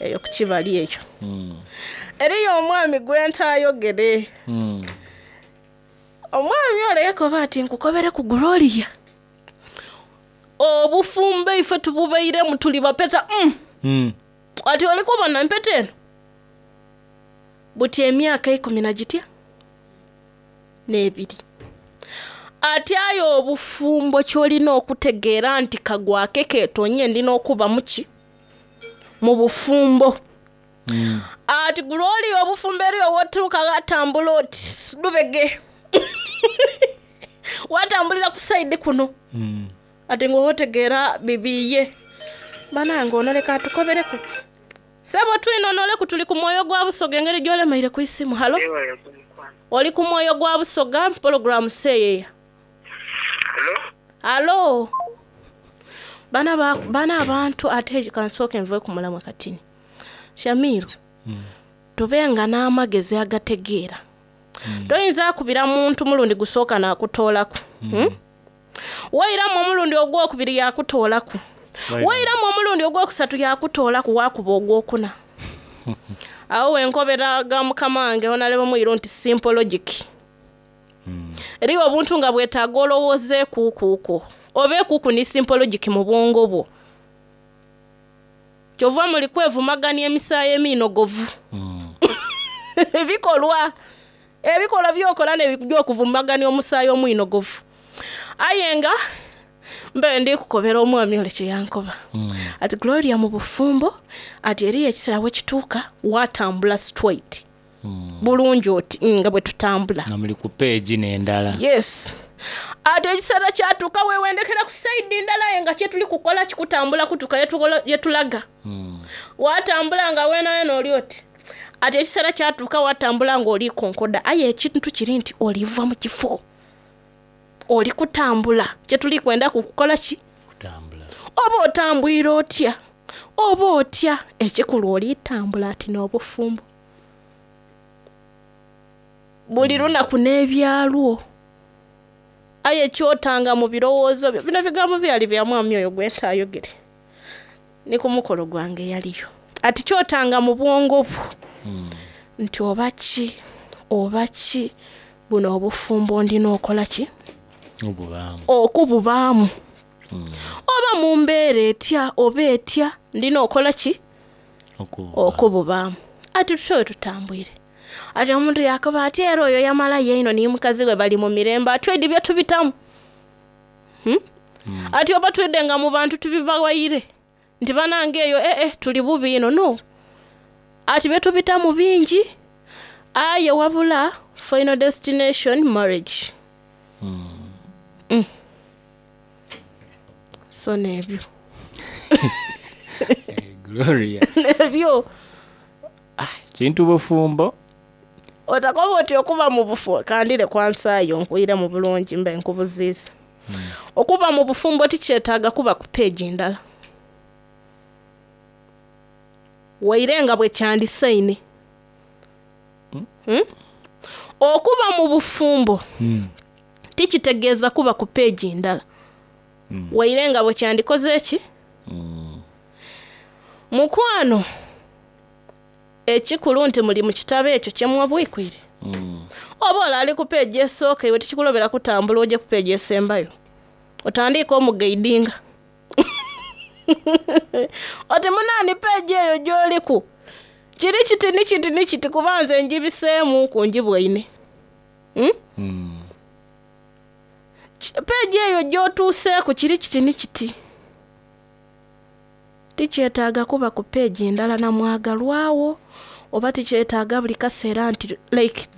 Eyo ku kibali eyo. Eriyo omwami gwe ntaayogere. Omwami ole yakoba ati, Nkukobereku Gloria, obufumbo ife tububairemu tuli bapeta. Mm. Ati oli kubona empeta eno? Buti emyaka eikumi na gitya? N'ebiri. Ati aye obufumbo ky'olina okutegeera nti kagwake keetonye ndi n'okuba mu ki? Mu bufumbo. Ati Gloria obufumbo eriyo w'otuuka ghatambula oti lubege. Watambulira ku saidi kuno. Ati nga otegeera bibiiye. Banange ono leka atukobereku. Sebo twinonoleku tuli ku mwoyo gwa Busoga engeri gy'olemeire ku isimu. Halo? Oli ku mwoyo gwa Busoga pulogulaamu seeyeya. Halo? Bana ba, bana abantu ate kansooke nve ku mulamwa katini. Shamiru, tubenga n'amagezi agategeera. Toyinza kubira muntu mulundi gusooka nakutoolaku. Wairamu omulundi ogwokubiri yakutoolaku. Wairamu omulundi ogwokusatu yakutoolaku wakuba ogwokuna. Awo wenkobera ga mukama wange honalebo mwiru nti simple logic. Eriyo obuntu nga bwetaaga olowooze kuukuuku. Obe kuuku ni simple logic mu bwongo bwo. Kyova muli kwevumagania emisaayi emiinogovu. Ebikolwa ebikolwa by'okola n'eby'okuvumagania omusaayi omwinogovu. Aye nga mbe ndi kukobera omwami ole kye yankoba. Ati Gloria mu bufumbo ati eriyo ekiseera bwe kituuka watambula straight. Bulungi oti nga bwe tutambula. Nga muli ku peegi n'endala. Yes. Ati ekiseera kyatuuka weewendekera ku saidi ndala aye nga kye tuli kukola kikutambula kutuuka ye tulaga. Watambula nga weenaweena oli oti. Ati ekiseera kyatuuka watambula ng'oli konkoda aye ekintu kiri nti oliva mu kifo. Oli kutambula. Kye tuli kwenda kukukola ki? Kutambula. Oba otambwire otya? Oba otya? Ekikulu oli tambula ati n'obufumbo. Buli lunaku n'ebyalwo. Aye ky'otanga mu birowoozo byo. Bino bigambo byali bya mwami oyo gwe ntaayogere. Ni ku mukolo gwange yaliyo. Ati ky'otanga mu bwongo bwo nti oba ki, oba ki, buno obufumbo ndina okola ki? Obubaamu. Okububaamu. Oba mu mbeera etya oba etya, ndina okola ki? Okububaamu. Ati tutyo bwe tutambwire. Ati omuntu yaakoba ati era oyo yamalayo einho ni mukazi we bali mu mirembe ati oidhi bye tubitamu. Ati oba twidhe nga mu bantu tubibawaire nti banange eyo ee tuli bubi inho. No. Ati bye tubitamu bingi aye wabula final destination marriage. So n'ebyo. Gloria. N'ebyo. Kintu bufumbo. Otakoba oti okuba mu bufumbo, kandire kwansaayo nkwiremu bulungi mbe nkubuziiza. Okuba mu bufumbo tikyetaaga kuba ku peegi ndala. Waire nga bwe kyandisaine. Okuba mu bufumbo tikitegeeza kuba ku peegi ndala. Waire nga bwe kyandikoze ki? Mukwano, ekikulu nti muli mu kitabo ekyo kye mwabwikwire. Oba ole ali ku peegi esooka iwe tikikulobera kutambula oje ku peegi esembayo. Otandiike omugaidinga. Oti munaani peegi eyo gy'oliku kiri kiti ni kiti ni kiti kuba nze ngibiseemuuku ngibwaine. Peegi eyo gy'otuuseeku kiri kiti ni kiti. Tikyetaaga kuba ku peegi ndala na mwagalwa wo oba tikyetaaga buli kaseera nti like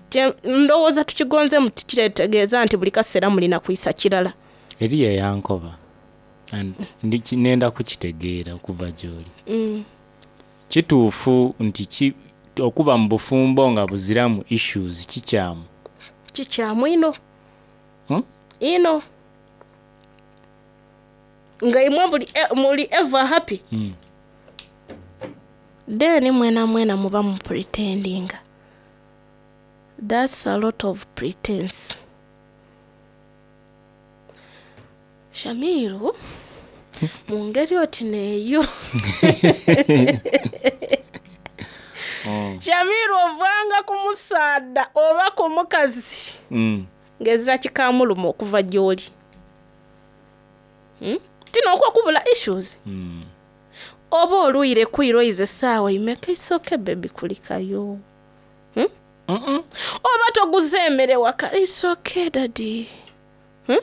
ndowooza tukigonzeemu tikitegeeza nti buli kaseera mulina kwisa kirala. Eriyo eyankoba and nenda kukitegeera okuva gy'oli. Kituufu nti ki, okuba mu bufumbo nga buziramu issues kikyamu? Kikyamu inho. Inho. Nga imwe buli muli ever happy. Then mwenamwena muba mu pretendinga. That's a lot of pretense. Shamiru, mu ngeri oti n'eyo. Shamiru ovanga ku musaadha oba ku mukazi ng'ezira kikamuluma okuva gy'oli. Hmm? Tino okwo okubula issues. Oba olwire kwira oize essaawa imeka it's okay baby kulikayo. Hmm? Oba toguze emmere waka it's okay daddy. Hmm?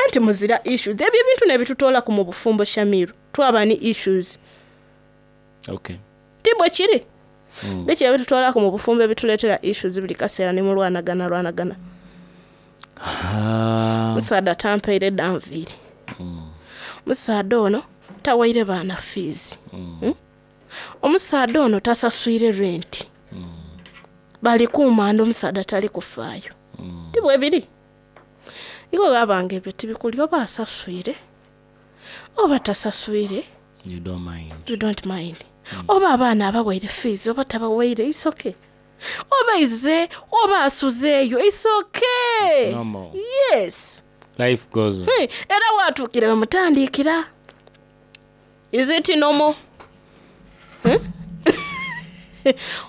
Anti muzira issues. Ebyo ebintu nebitutoolaku mu bufumbo Shamiru. Twaba ni issues. Okay. Ti bwe kiri? Biki ebitutoolaku mu bufumbo ebituleetera issues buli kaseera ni mulwanagana lwanagana? Ah, Musaadha tampaire dda nviiri. Musaadha ono tawaire baana fees. Hmm? Omusaadha ono tasaswire rent. Bali kumanda omusaadha tali kufaayo. Ti bwe biri? Iwe bwaba nga ebyo tibikuli oba asaswire oba tasaswire you don't mind. you don't mind. Oba abaana abawaire fees oba tabawaire it's okay. Oba ize oba asuzeeyo it's okay. Normal. Yes. Life goes on. Hey, era watuukira wemutandiikira. Is it normal? Hmm?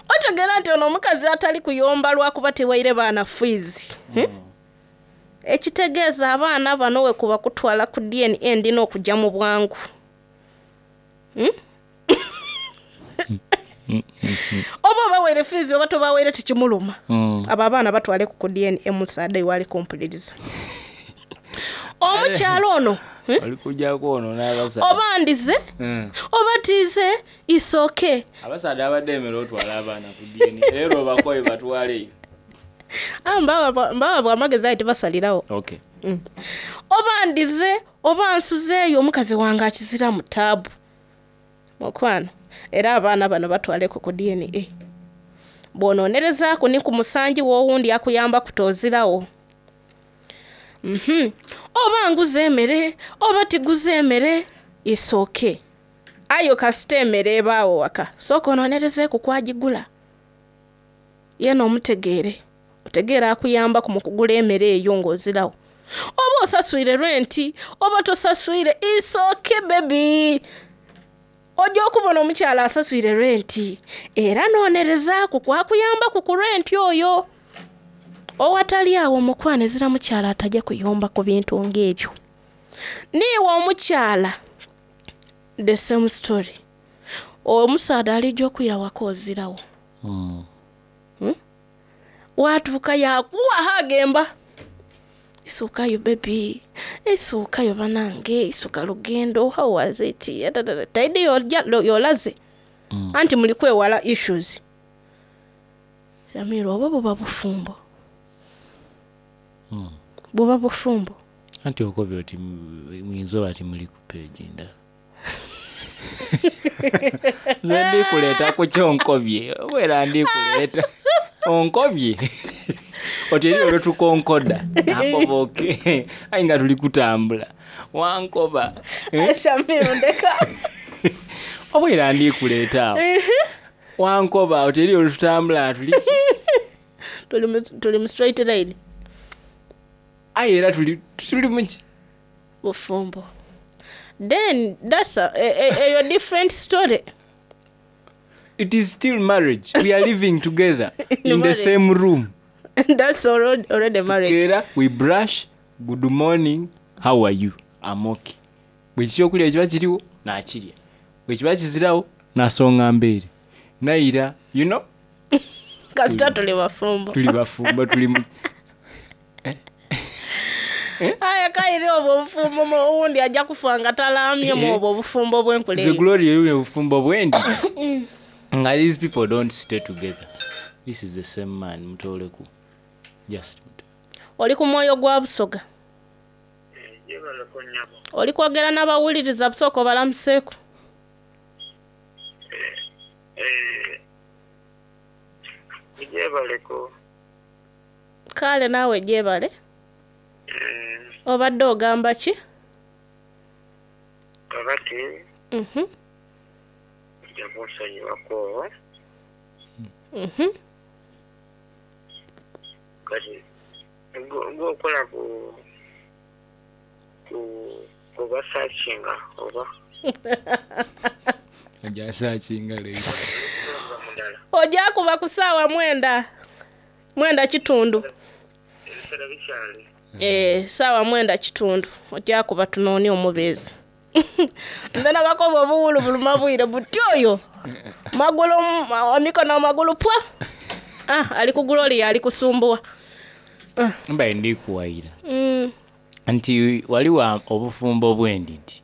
Otegeera nti ono omukazi atali kuyomba lwakuba tewaire baana fees. Hmm? Ekitegeeza abaana bano we kuba kutwala ku DNA ndina okujja mu bwangu. Hmm? Oba obaweere fees oba tobaweere tekimuluma. Abo abaana batwaleku ku DNA musaadha iwe ali kumpuliriza. Omukyala ono Oli kujjako ono n'abasaadha. oba ndize oba tiize it's okay. Abasaadha abadde emmere otwala abaana ku DNA era obakoye batwaleyo. Ah, mbawa bwa amagezi aye tebasalirawo. Okay. Oba ndize oba nsuzeeyo omukazi wange akizira mu taabu. Mukwano era abaana bano batwaleko ku DNA. Bw'onoonerezaaku ni ku musanji w'owundi akuyamba kutoozirawo. Oba nguze emmere oba tiguze emmere it's okay. Aye kasita emmere ebaawo waka sooka onoonerezeeku kwagigula. Yeena omutegeere. Otegeere akuyambaku mu kugula emmere eyo ng'ozirawo. Oba osaswire renti oba tosaswire it's okay baby. Ojja okubona omukyala asaswire renti era noonerezaaku kwakuyambaku ku renti oyo. Owatali awo omukwano ezira mukyala atajja kuyomba ku bintu ng'ebyo. Niiwe omukyala the same story. Omusaadha alijja okwira waka ozirawo. Watuuka yakuwa agemba. Isuukayo baby, isuukayo banange, isuuka lugendo, how was it? Taidi yolaze. Anti muli kwewala issues. Shamiru oba buba bufumbo. Buba bufumbo. Anti okobye oti muyinza oba timuli ku page ndala. Nze ndikuleeta ku kyonkobye obeera ndikuleeta onkobye oti eri olwetukonkoda nakoba oke aye nga tuli kutambula wankoba. Shamiru ndeka. Obeera ndikuleeta awo wankoba oti eri olwetutambula tuli ki? Tuli mu straight line. Aye era tuli muki? Bufumbo. Then that's a different story. It is still marriage. We are living together in the same room. That's already marriage. Together, we brush, good morning, how are you? I'm okay. Bwe ekyokulya kiba kiriwo, nakirya. Bwe kiba kizirawo, nasonga mbeere. Nayira, you know? Kasita tuli bafumbo. Tuli bafumbo, tuli mu Aye kaire obwo obufumbo owundi ajja kufa nga talaamyemu obwo obufumbo bw'enkula The eyo. glory eri obufumbo bwendi. Nga these people don't stay together. This is the same man, mutoleku. Just Oli ku mwoyo gwa Busoga. Oli kwogera n'abawuliriza Busoga obalamuseeku. Gyebaleko. Kale naawe gyebale. Obadde ogamba ki? Kakati nja kunsonyiwako. Kati gwokola ku kubasakinga oba ajasakinga leero. Mudala. Oja kuba ku saawa 9, 9 kitundu. Ebiseera bikyali. Eh, saawa 9 kitundu oja kuba tunoonie omubeezi. Nze nabakoba obuwulu buluma bwire buti oyo magulu emikono amagulu pwa. Ah, ali ku Gloria ali kusumbuwa. Mbaye ndi kuwayira nti waliwo obufumbo bw'endidi,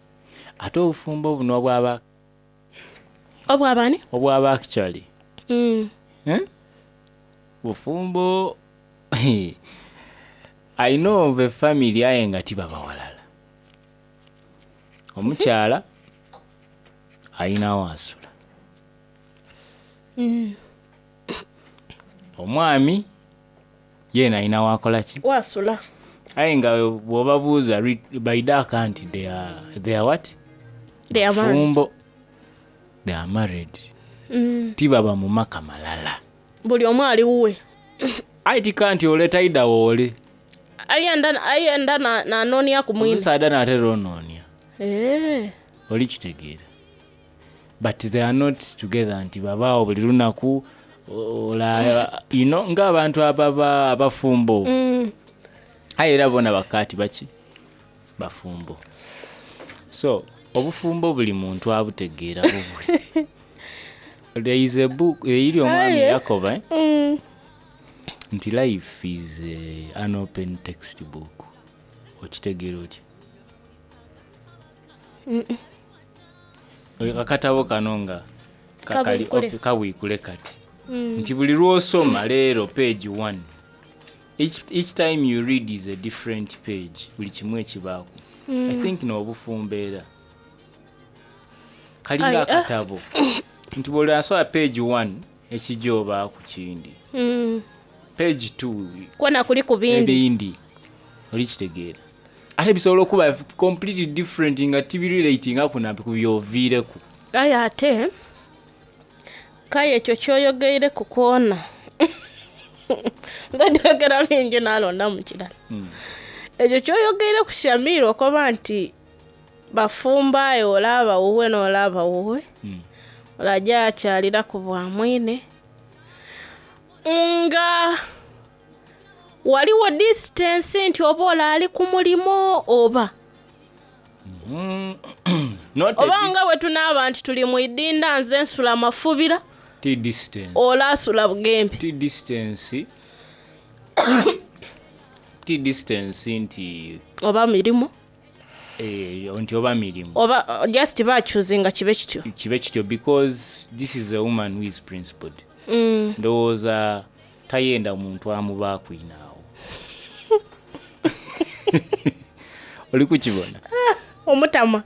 ate obufumbo buno obwaba Obwabani? Obwaba actually. Eh? Bufumbo I know of a family aye nga tibaba walala. Omukyala ayinawo asula. Omwami yeena ayina wakola ki? Wasula. Aye nga bw'obabuuza by dark nti they are what? They are married. Fumbo. They are married. Tibaba mu maka malala. Buli omu ali wuwe. Aye tika nti ole taida woole. Ayenda nanoonia ku mwine. Omusaadha n'atera onoonia. Eh. Oli kitegeera. But they are not together nti babaawo buli lunaku ola you know ng'abantu ababa abafumbo. Aye era bona bakaati baki? Bafumbo. So obufumbo buli muntu abutegeera bubwe. There is a book eyiri omwami Aye. Yakoba eh? Nti life is an open textbook. Okitegeera otya? Oyo akatabo kano nga kakali Kabwikule. kabwikule kati. Nti buli lw'osoma leero page 1. Each time you read is a different page. Buli kimu ekibaako. I think n'obufumbo era. Kalinga Aye, ah. akatabo. Nti bw'oli asoma page 1 ekijja oba ku kindi. Page 2 Kwona kuli ku bindi. Ebindi. Oli kitegeera. Ate bisobola okuba completely different nga tibirelatinga ku nampi ku by'oviireku. Aye ate kaye ekyo kyoyogeire ku kwona. Nze njogera bingi nalonda mu kirala. Ekyo kyoyogeire ku Shamiru okoba nti bafumba aye olaaba wuwe n'olaaba wuwe. Olajja akyalira ku bwa mwine. Nga waliwo distance nti oba ole ali ku mulimo oba Not a oba nga bwe tunaaba nti tuli mu idinda nze nsula mafubira T distance. ole asula bugembe. T distance. T distance nti Oba mirimu nti oba mirimu. Oba just bakyuzinga kibe kityo. Kibe kityo because this is a woman who is principled. Ndowooza tayenda muntu amubaako inaawo. Oli kukibona? Omutama.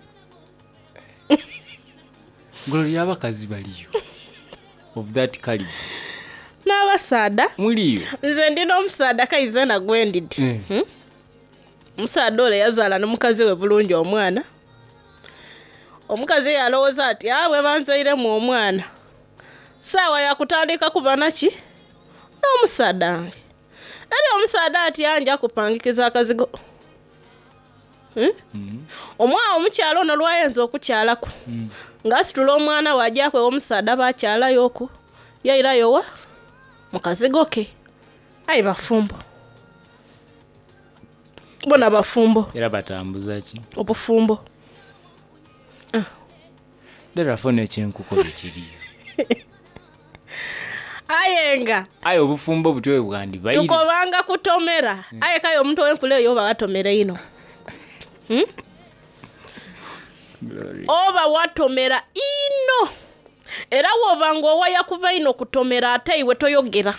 Gloria abakazi baliyo of that caliber. N'abasaada. Muliyo. Nze ndina omusaada kaize nagwe ndidi. Omusaada ole yazaala n'omukazi we bulungi omwana. Omukazi yalowooza ati ah bwe banzairemu omwana. Saawa yakutandika kuba naki? N'omusaada wange. Eri omusaada ati anja kupangikiza akazigo. Omwana omukyala ono lwayinza okukyalaku. Ng'asitula omwana we ajja kwewa omusaada bakyalayo okwo. Yairayo wa? Mu kazigo ke. Aye bafumbo. Bona bafumbo. Era batambuza ki? Obufumbo. Ddala n'ekyenkuko ekiriyo. Aye nga Aye obufumbo butyo bwe bwandibaire. tukobanga kutomera. Aye kaye omuntu ow'enkula eyo oba watomera ino. Oba watomera ino. Era woba ng'owaya kuva ino kutomera ate iwe toyogera.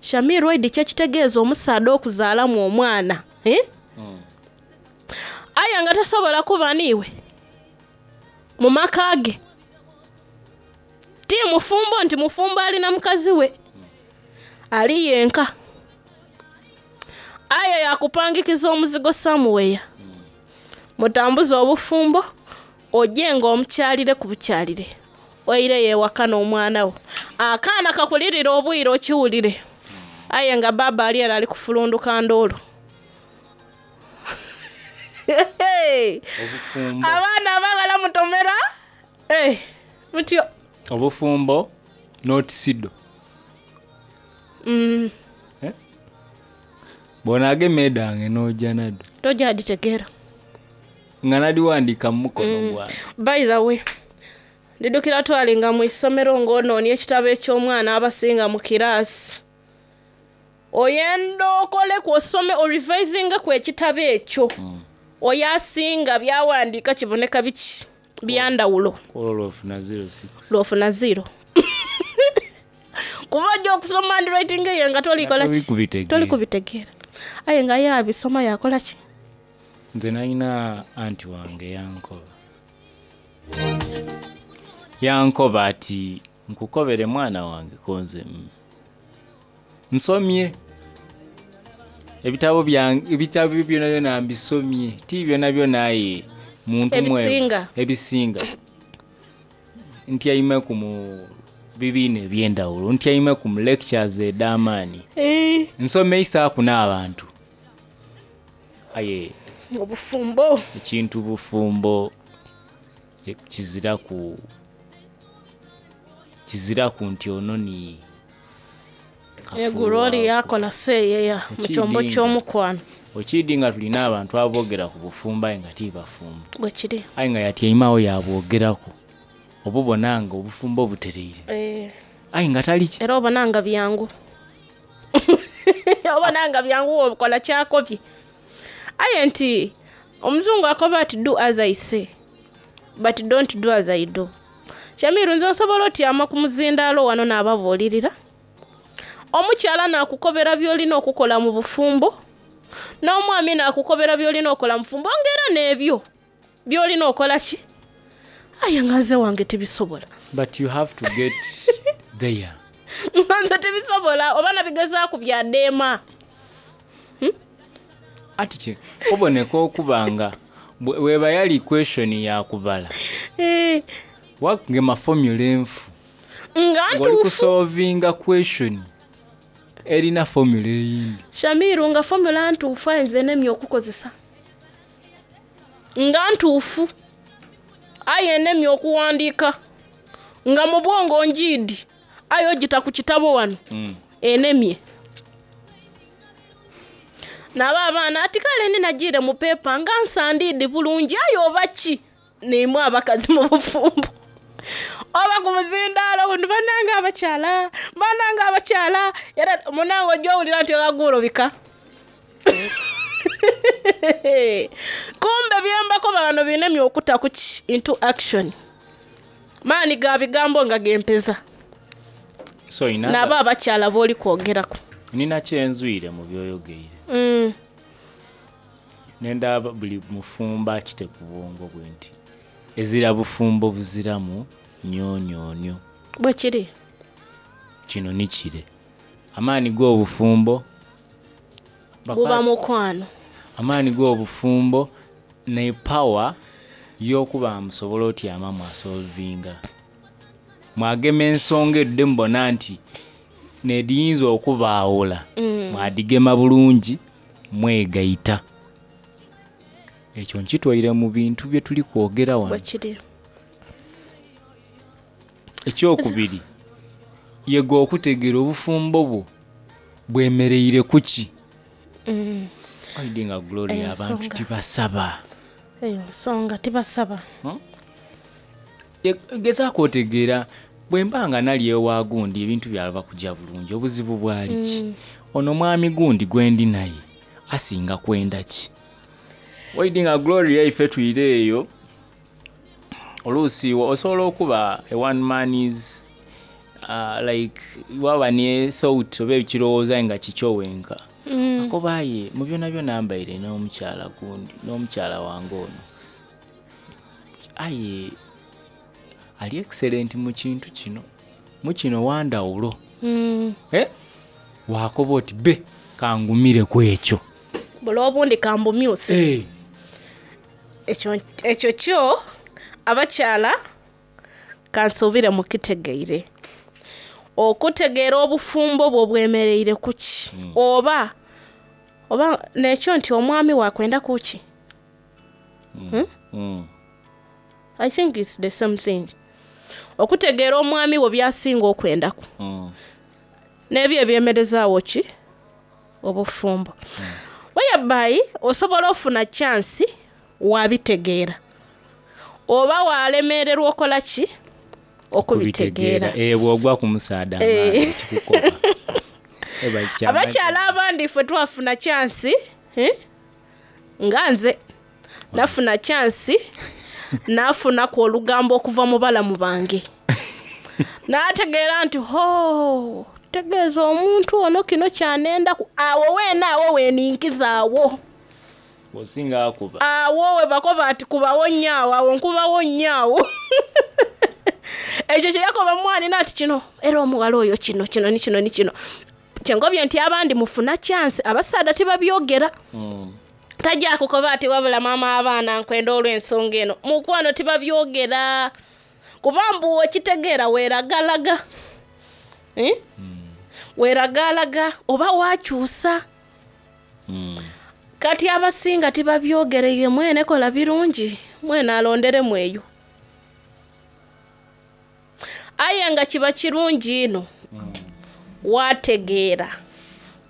Shamir Waidi kyekitegeeza omusaadha okuzaalamu omwana. Eh? Aye nga tasobola kuba niiwe mu maka ge. Ti mufumbo nti mufumbo alina mukazi we. Ali yenka. Aye yakupangikiza omuzigo somewhere. Mutambuze obufumbo ojje ng'omukyalire ku bukyalire. Oireyo ewaka n'omwana wo. Akaana kakulirira obwire okiwulire. Aye nga baaba ali era ali kufulunduka ndoolo. Obufumbo. Abaana abagala mutomera. Eh, mutyo. Obufumbo not sido. Eh? Bw'onaagema edhange n'oja nadho. Toja dhitegeera. Nga nadhiwandiika mu mukono gwange. By the way, ndidhukira twalinga mu isomero ng'onoonia ekitabo eky'omwana abasinga mu kiraasi. Oyenda okoleku osome orivisingeku ekitabo ekyo. Oyo asinga by'awandiika kiboneka biki? Bya ndhawulo. Olwo lw'ofuna 06. Lw'ofuna ziro. Kuba ojja okusoma handwriting ye nga tolikola Toli ki? kubitegeera. Toli kubitegeera. Aye nga ye abisoma yakola ki? Nze nalina anti wange yankoba. Yankoba ati nkukobere mwana wange konze nsomye ebitabo byange, ebitabo byona byona mbisomye, ti byona byona aye muntu mwevu. Ebisinga. Ebisinga. Ntyaimeku mu bibiina eby'endawulo, ntyaimeku mu lectures edh'amaani. Nsomeisaaku n'abantu. Aye Obufumbo. ekintu bufumbo kiziraku nti ono ni Eggulo oli yakola seeyeya mu kyombo Okidinga. ky'omukwano. Okidi nga tulina abantu aboogera ku bufumbo aye nga ti bafumbo. Bwe kiri. Aye nga yatyaimagho yabwogeraku. Obubona nga obufumbo butereire. Aye nga tali ki. Era obona nga byangu. Obona nga byangu wokola kyakobye. Aye nti omuzungu akoba ati do as I say but don't do as I do. Shamiru nze nsobola otyama ku muzindaalo wano n'ababuulirira. Omukyala naakukobera by'olina okukola mu bufumbo, n'omwami naakukobera by'olina okukola mu bufumbo, ng'era n'ebyo by'olina okola ki? Aye nga nze wange tibisobola. But you have to get there. Nga nze tibisobola oba nabigezaaku byadeema. Ati kye oboneka okuba nga bweba yali question ya kubala. Wagema formula enfu. Nga Ng'oli ntuufu. kusolvinga question erina formula eyindi. Shamiru nga formula ntuufu aye nze nemye okukozesa. Nga ntuufu aye nemye okuwandiika. Nga mu bwongo njiidi aye ogita ku kitabo wano enemye. Nabo abaana ati kale ni nagiire mu pepa nga nsandiidi bulungi aye oba ki? Niimwe abakazi mu bufumbo. Oba ku muzindaalo guno bannange abakyala, bannange abakyala, era munange ojja owulira nti okaguulobika. Kumbe byembakoba bano binemye okuta ku ki into action. Maani ga bigambo nga gempeza. So ina Nabo abakyala b'oli kwogerako. nina kyenzwire mu byoyogeire. Nenda buli mufumbo akite ku bwongo bwe nti ezira bufumbo buziramu nnyonyoonyo. Bwe kiri. Kino ni kire. Amaani g'obufumbo Buba mukwano. Amaani g'obufumbo ne power y'okuba musobola otyama mwasolvinga. Mwagema ensonga edde mubona nti nediyinza okubaawula. Mwadigema bulungi mwegaita. Ekyo nkitwaire mu bintu bye tuli kwogera wano. Bwe kiri. Ekyokubiri, yega okutegeera obufumbo bwo bwemereire ku ki. Oidi nga Gloria Eyo abantu nsonga. tibasaba. Eyo nsonga tibasaba. Gezaako otegeera bwe mba nga nali ewa gundi ebintu byalaba kujja bulungi obuzibu bwali ki. Ono mwami gundi gwe ndi naye asinga kwenda ki. Oidi nga Gloria ife twire eyo oluusi osobola okuba a one man is like waba ne thought oba ekirowooza nga kikyo wenka. Akoba aye mu byonna byonna mbaire n'omukyala gundi n'omukyala wange ono. Aye ali excellent mu kintu kino, mu kino wandawulo. Wakoba oti be kangumire ku ekyo. Buli obundi kambumyuse. Ekyo kyo abakyala kansuubire mukitegeire. Okutegeera obufumbo bwo bwemereire ku ki? Oba n'ekyo nti omwami wakwenda ku ki? I think it's the same thing. Okutegeera omwami wo by'asinga okwendaku. N'ebyo ebyemerezaawo ki? Obufumbo. Whereby osobola ofuna chance wabitegeera. Oba walemererwa okola ki? Okubitegeera. Eh, bw'ogwa ku musaadha amaani kikukoba. Eba kyama- Abakyala abandi ffe twafuna chance, eh? Nga nze nafuna chance nafunaku olugambo okuva mu balamu bange. Nategeera nti ho tegeeza omuntu ono kino kyanendaku awo weena awo weninkiza awo. Osinga akuba. Awo we bakoba ati kubawo nnyo awo, awo nkubawo nnyo awo. Ekyo kye yakoba mwanina ati kino era omuwala oyo kino kino ni kino ni kino. Kyengobye nti abandi mufuna chance abasaadha tibabyogera. Tajja kukoba ati wabula maama abaana nkwenda olw'ensonga eno. Mukwano tibabyogera. Kuba mbu okitegeera weeragalaga. Eh? Weeragalaga oba wakyusa. Kati abasinga tibabyogere ye mwene kola birungi mwene alonderemu eyo. Aye nga kiba kirungi ino wategeera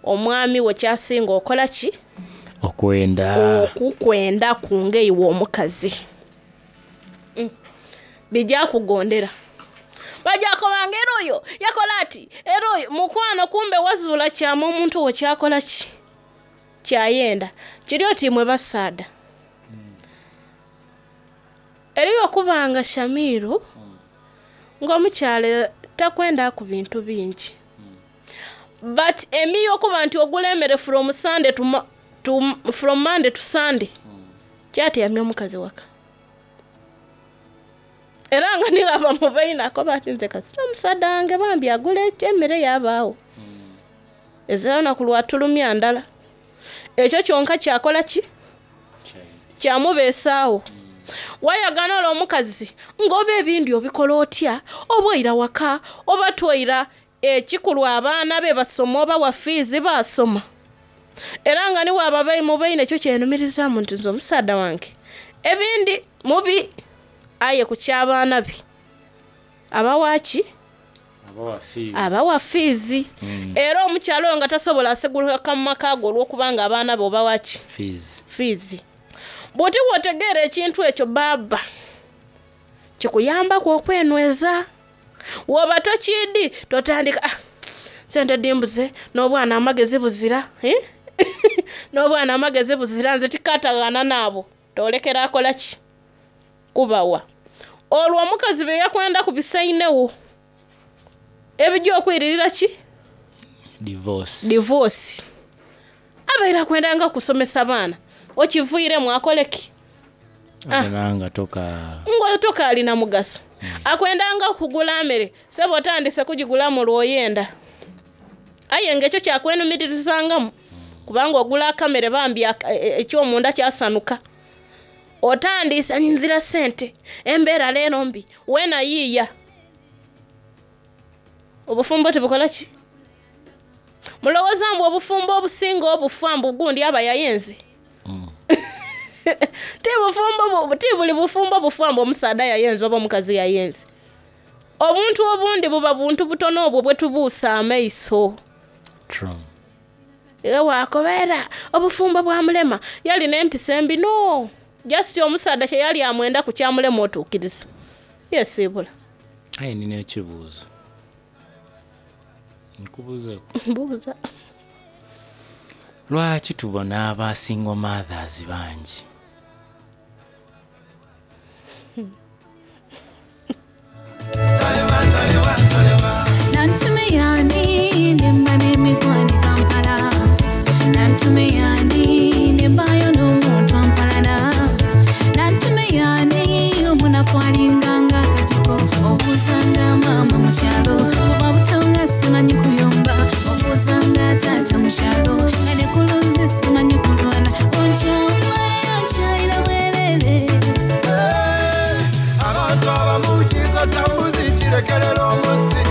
omwami we kyasinga okola ki? Okwenda. Okukwenda ku ngeiwe omukazi. Bijja kugondera. Bajja kubanga era oyo yakola ati era oyo mukwano kumbe wazuula kyama omuntu wo kyakola ki? Kyayenda. Kiri oti mwe basaada. Eriyo okubanga Shamiru ng'omukyala takwenda ku bintu bingi. But emiyo okuba nti ogula emmere from Sunday to, to, from Monday to Sunday. Kyateyamya omukazi waka. Era nga niraba mubaina akoba ati nze kasita omusaadha wange bambi agula emmere yabaawo. Ezira lunaku lwatulumya ndala. Ekyo kyonka kyakola ki? Kyamubeesaawo. Wayagana olwo omukazi ng'oba ebindi obikola otya oba oira waka oba twoira ekikulu abaana be basoma oba wa fiizi basoma. Era nga niwaba mubaine ekyo kyenumirizaamu nti nze omusaadha wange ebindi mubi aye ku ky'abaana be abawa ki? Abawa fiizi. Era omukyala oyo nga tasobola aseguluka mu maka ge olw'okubanga abaana be obawa ki? Fiizi. Bw'oti bw'otegeera ekintu ekyo baaba kikuyambaku okwenyweza. Woba tokiidi totandika ah, sente dimbuze n'obwana amagezi buzira, eh? N'obwana amagezi buzira nze tikatagana naabo tolekera akola ki? Kubawa. Olwo omukazi bye yakwenda ku bisainewo ebijja okwiririra ki? Divorce. Divorce. Abaire akwendanga kusomesa baana okiviiremu akole ki? Abona toka Ngo tokaalina mugaso. Akwendanga kugula mmere sebo otandise kugigula mu lwoyenda. Aye ng'ekyo kyakwenumiririzangamu kubanga ogula akamere bambi ekyomunda kyasanuka. Otandise nzira sente embeera leero mbi weena yiiya. Obufumbo tebukola ki? Mulowooza mbu obufumbo obusinga obufa mbu gundi aba yayenze. Ti bufumbo ti buli bufumbo bufa mbu omusaadha yayenze oba omukazi yayenze. Obuntu obundi buba buntu butono obwo bwe tubuusa amaiso. True. Era wakobeera obufumbo bwa mulema yalina empisa embi no. Just omusaadha kye yali amwenda ku kyamulema otuukiriza. Yesiibula. Aye nina ekibuuzo. Nkubuuzeeku. Mbuuza. Lwaki tubona aba single mothers bangi? Nantume yani nemba n'emikwano Kampala. Nantume yani nembayo n'omuntu ampalana. Nantume yani omunafu alinganga akatiko. Obuuzanga maama mu kyalo. Kuba buto nga simanyi kuyomba. Obuuzanga taata mu kyalo. Nga ne ku luzzi simanyi kulwana. Onkyawa onkyayira bwerere. Abantu abamu kiza kya mbuzi kirekerera omuzi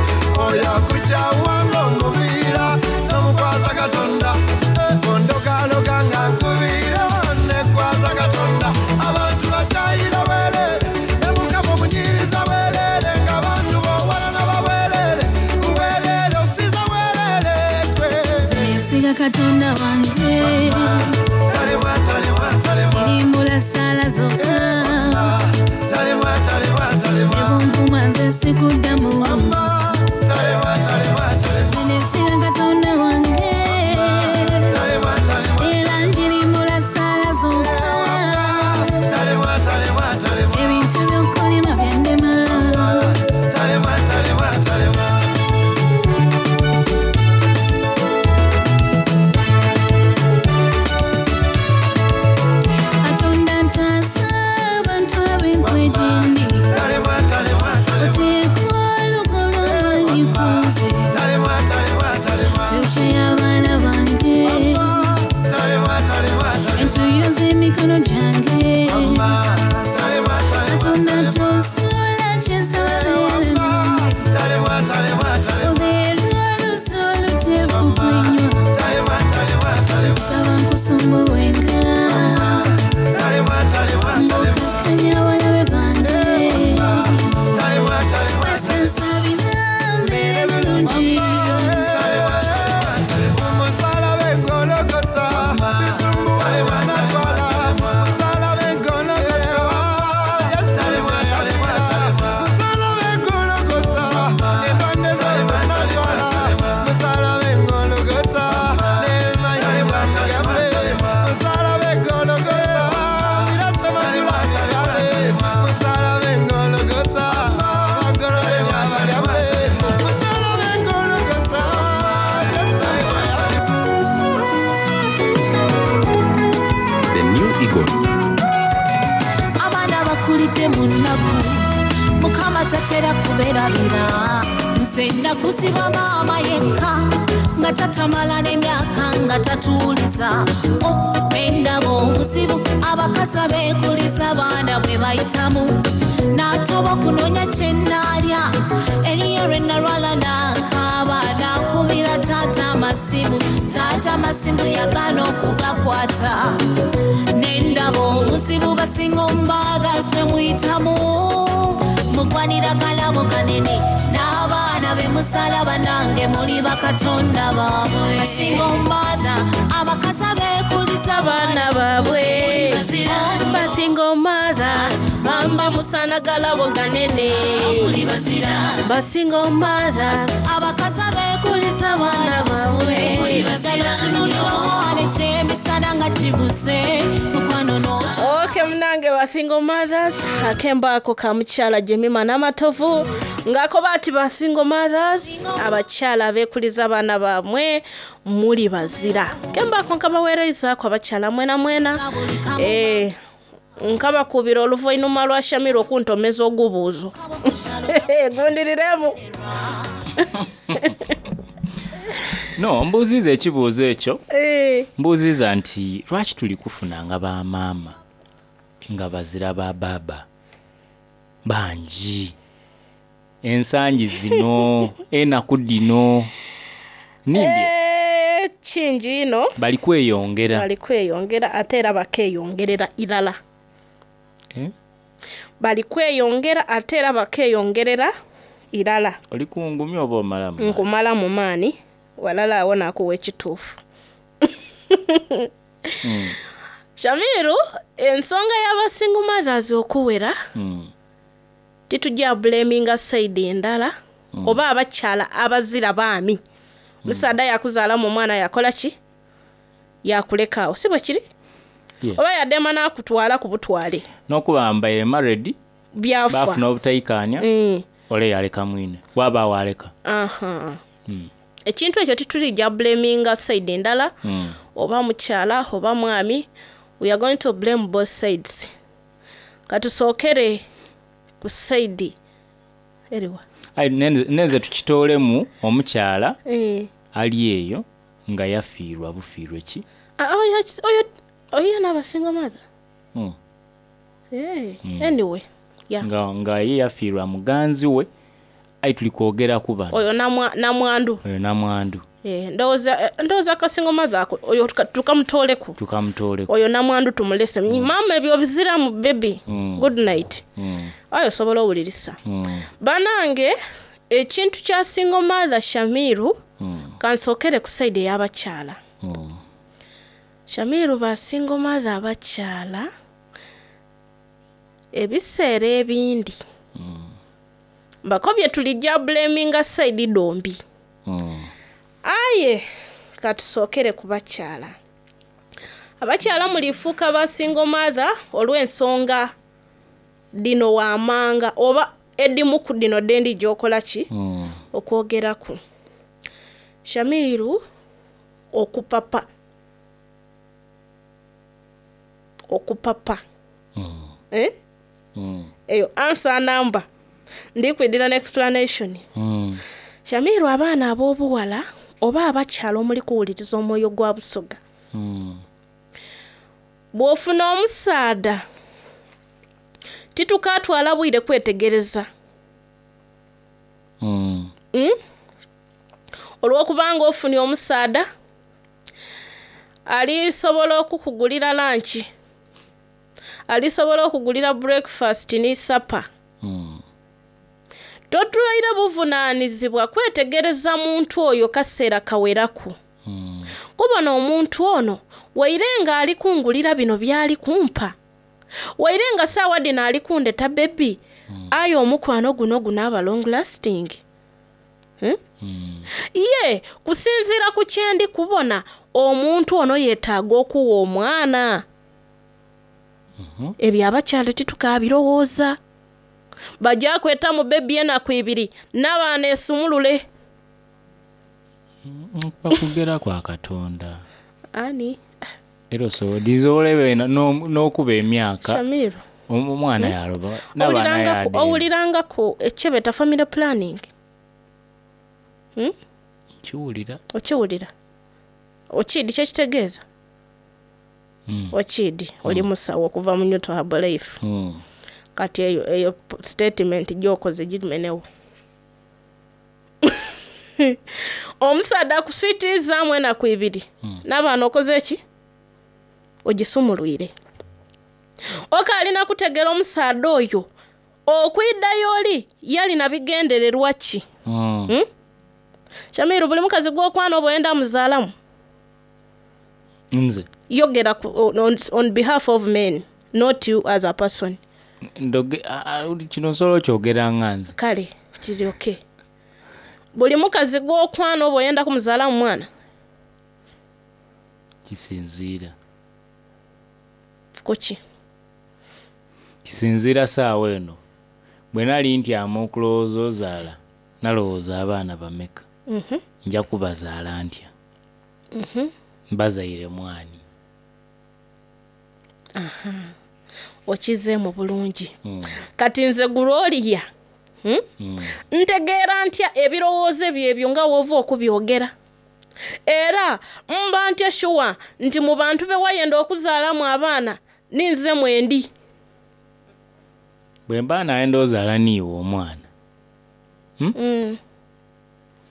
oyo akukyawa ng'omuviira n'omukwasa Katonda ondogaloga nga nkuviira nekwaza Katonda abantu bakyayira bwerere ne Mukama omunyiriza bwerere ng'abantu Katonda wange. Talemwa, talemwa, talemwa. Irimbula ssaala zokka. Talemwa, talemwa, talemwa. Ebunvuma nze sikuddamu. Talemwa, talemwa, talemwa. Nesiga Katonda wange. Talemwa, talemwa. Era njirimbula ssaala zokka. Talemwa, talemwa, talemwa. Ebintu by'okulima byandema. Talemwa, talemwa, talemwa. Katonda ntaasa abantu ab'enkwegindi. Talemwa, talemwa, talemwa. Oteekwa olugo lw'amaanyi ku nze. Talemwa, talemwa, talemwa. Fyuca y'abaana bange. Talemwa, talemwa, talemwa. Entuuyo z'emikono gyange. Talemwa, talemwa, Katonda tonsuula kye nsaba beera nange. talemwa, talemwa, talemwa. Obeera oluusi oluteefu kwenywa. Talemwa, talemwa, talemwa. Nsaba nkusumbuwenga. Talemwa, talemwa, talemwa. Ng'okkakkanya abalabe bange. Talemwa, talemwa, Nsabira mbeere bulungi. Omusalaba egologota, bisumbuwa natwala. Musalaba egologota, musalaba egologota, endwadde zonna natwala. Musalaba egologota, n'emayinja mugambe. Musalaba egologota, birasemagula mugambe. Musalaba egologota, bagolole abagambe. Musalaba egologota, The New Eagles. Abaana bakulidde mu nnaku, Mukama tatera kubeerabira. Nze nakuziba maama yekka nga tatamala n'emyaka nga tatuuliza. Endaba obuzibu abakazi abeekuliza abaana bwe bayitamu, n'atoba kunoonya kye nnaalya. Eriyo lwe nalwala n'akaaba, n'akubira taata amasimu, taata amasimu yagaana okugakwata. Nendaba obuzibu basinga omubaagazi bwe muyitamu, mugwanira kalabo kanene n'abaana be musalaba, nange muli bakatonda baabwe. Basinga omubaana abakazi abeekuliza abaana baabwe. Basingle mothers bamba musana galabo ganene. Basingle mothers abakazi abeekuliza abaana baabwe. Gano omwana ekyemisana nga kibuze mukwano n'otu. Okay, munange ba single mothers, akembo ako ka mukyala Jemima Namatovu ng'akoba ati ba single mothers, abakyala abeekuliza abaana baamwe, muli bazira. Kembo ako nkabaweerezaako abakyala mwena mwena. Eh, nkabakubira oluvainuma lwa Shamira okuntomeza ogubuuzo gundiriremu. No, mbuuziza ekibuuzo ekyo. Eh, Mbuuziza nti lwaki tuli kufunanga bamaama nga bazira ba baaba bangi ensangi zino, enaku dino nimbye? Eh, kingi ino. Bali kweyongera. Bali kweyongera, ate era bakeyongerera irala. Eh? Bali kweyongera, ate era bakeyongerera irala. Oli kungumya oba omalamu? Nkumala mu maani walala awo nakuwa ekituufu. Shamiru, ensonga y'abasingle mothers okuwera, titujja blaminga side endala oba abakyala abazira baami. Musaada yakuzaalamu omwana, yakola ki? Yakulekaawo, si bwe kiri? Yeah. Oba yadema n'akutwala ku butwale. N'okuba mbaire married byafa. bafuna obutayikaanya. Ole yaleka mwine waba waleka. Aha. Ekintu ekyo titulijja blaminga side endala, oba mukyala oba mwami. We are going to blame both sides. Katusookere ku side eriwa? Aye, nenze tukitoolemu omukyala ali eyo nga yafiirwa bufiirwe ki. Ah, oyo oyo n'abasinga mother. Eh, anyway, yeah. Nga ye yafiirwa muganzi we, aye tuli kwogera ku bano. Oyo namwandu. Oyo namwandu. Eh, ndowooza akasingo mother ako oyo tukamutooleku. Tukamutooleko. Oyo namwandu tumulese. Maama ebyo biziramu baby. Good night. Ayo osobola owulirisa. Banange, ekintu kya single mother, Shamiru, kansookere ku side ey'abakyala. Shamiru, ba single mother abakyala ebiseera ebindi mbakobye tulijja blaminga side dhombi. Aye katusookere ku bakyala. Abakyala mulifuuka ba single mother olw'ensonga dhino waamanga oba edimu ku dhino dhendi gy'okola ki okwogeraku. Shamiru, okupapa okupapa. Eh? Eyo answer number ndi kwidira ne explanation. Shamiru, abaana ab'obuwala oba abakyala omuli kuwuliriza omwoyo gwa Busoga, bw'ofuna omusaadha titukatwala bwire kwetegereza. Olw'okubanga ofunye omusaadha alisobola okukugulira lunch, alisobola okugulira breakfast ni supper, totwaire buvunaanizibwa kwetegereza muntu oyo kaseera kaweraku. Kubona omuntu ono waire nga ali kungulira bino byali kumpa, waire nga saawa dhino ali kundeta baby, aye omukwano guno gunaaba long lasting? Hmm? Ye kusinziira ku kyendi kubona, omuntu ono yeetaaga okuwa omwana. Ebyo abakyala titukabirowooza. Bajja kweta mu baby enaku ibiri n'abaana esumulule. Bakugera kwa Katonda. Ani? Era osobola n'okuba emyaka. Shamiru. Omwana yaloba n'abaana yaademba. Owulirangaku ekyebeta family planning? Nkiwulira. Okiwulira? Okiidi kyekitegeeza? Okiidi oli musawo okuva mu Newton Herbalife. Kati eyo statement gy'okoze gimenewo. Omusaadha akuswitirizaamu enaku ibiri, n'abaana okoze ki? Ogisumulwire. Okaalina kutegera omusaadha oyo okwiddayo oli yalina bigendererwa ki? Shamiru, buli mukazi gw'okwana oba oyenda muzaalamu? Nze Yogera on behalf of men, not you as a person. Ndoge kino nsobola okyogera nga nze. Kale kiri okay. Buli mukazi gw'okwana oba oyenda kumuzaalamu mwana? Kisinziira. Kuki? Kisinziira saawa eno. Bwe nali ntyama okulowooza ozaala, nalowooza abaana bameka. Nja kubazaala ntya? Mbazaire mwani? Okizeemu bulungi. Kati nze Gloria, Ntegeera ntya ebirowoozo ebyo ebyo nga w'ova okubyogera? Era mba ntya shuwa nti mu bantu be wayenda okuzaalamu abaana ninze mwendi? Bwe mba nayenda ozaala niiwe omwana,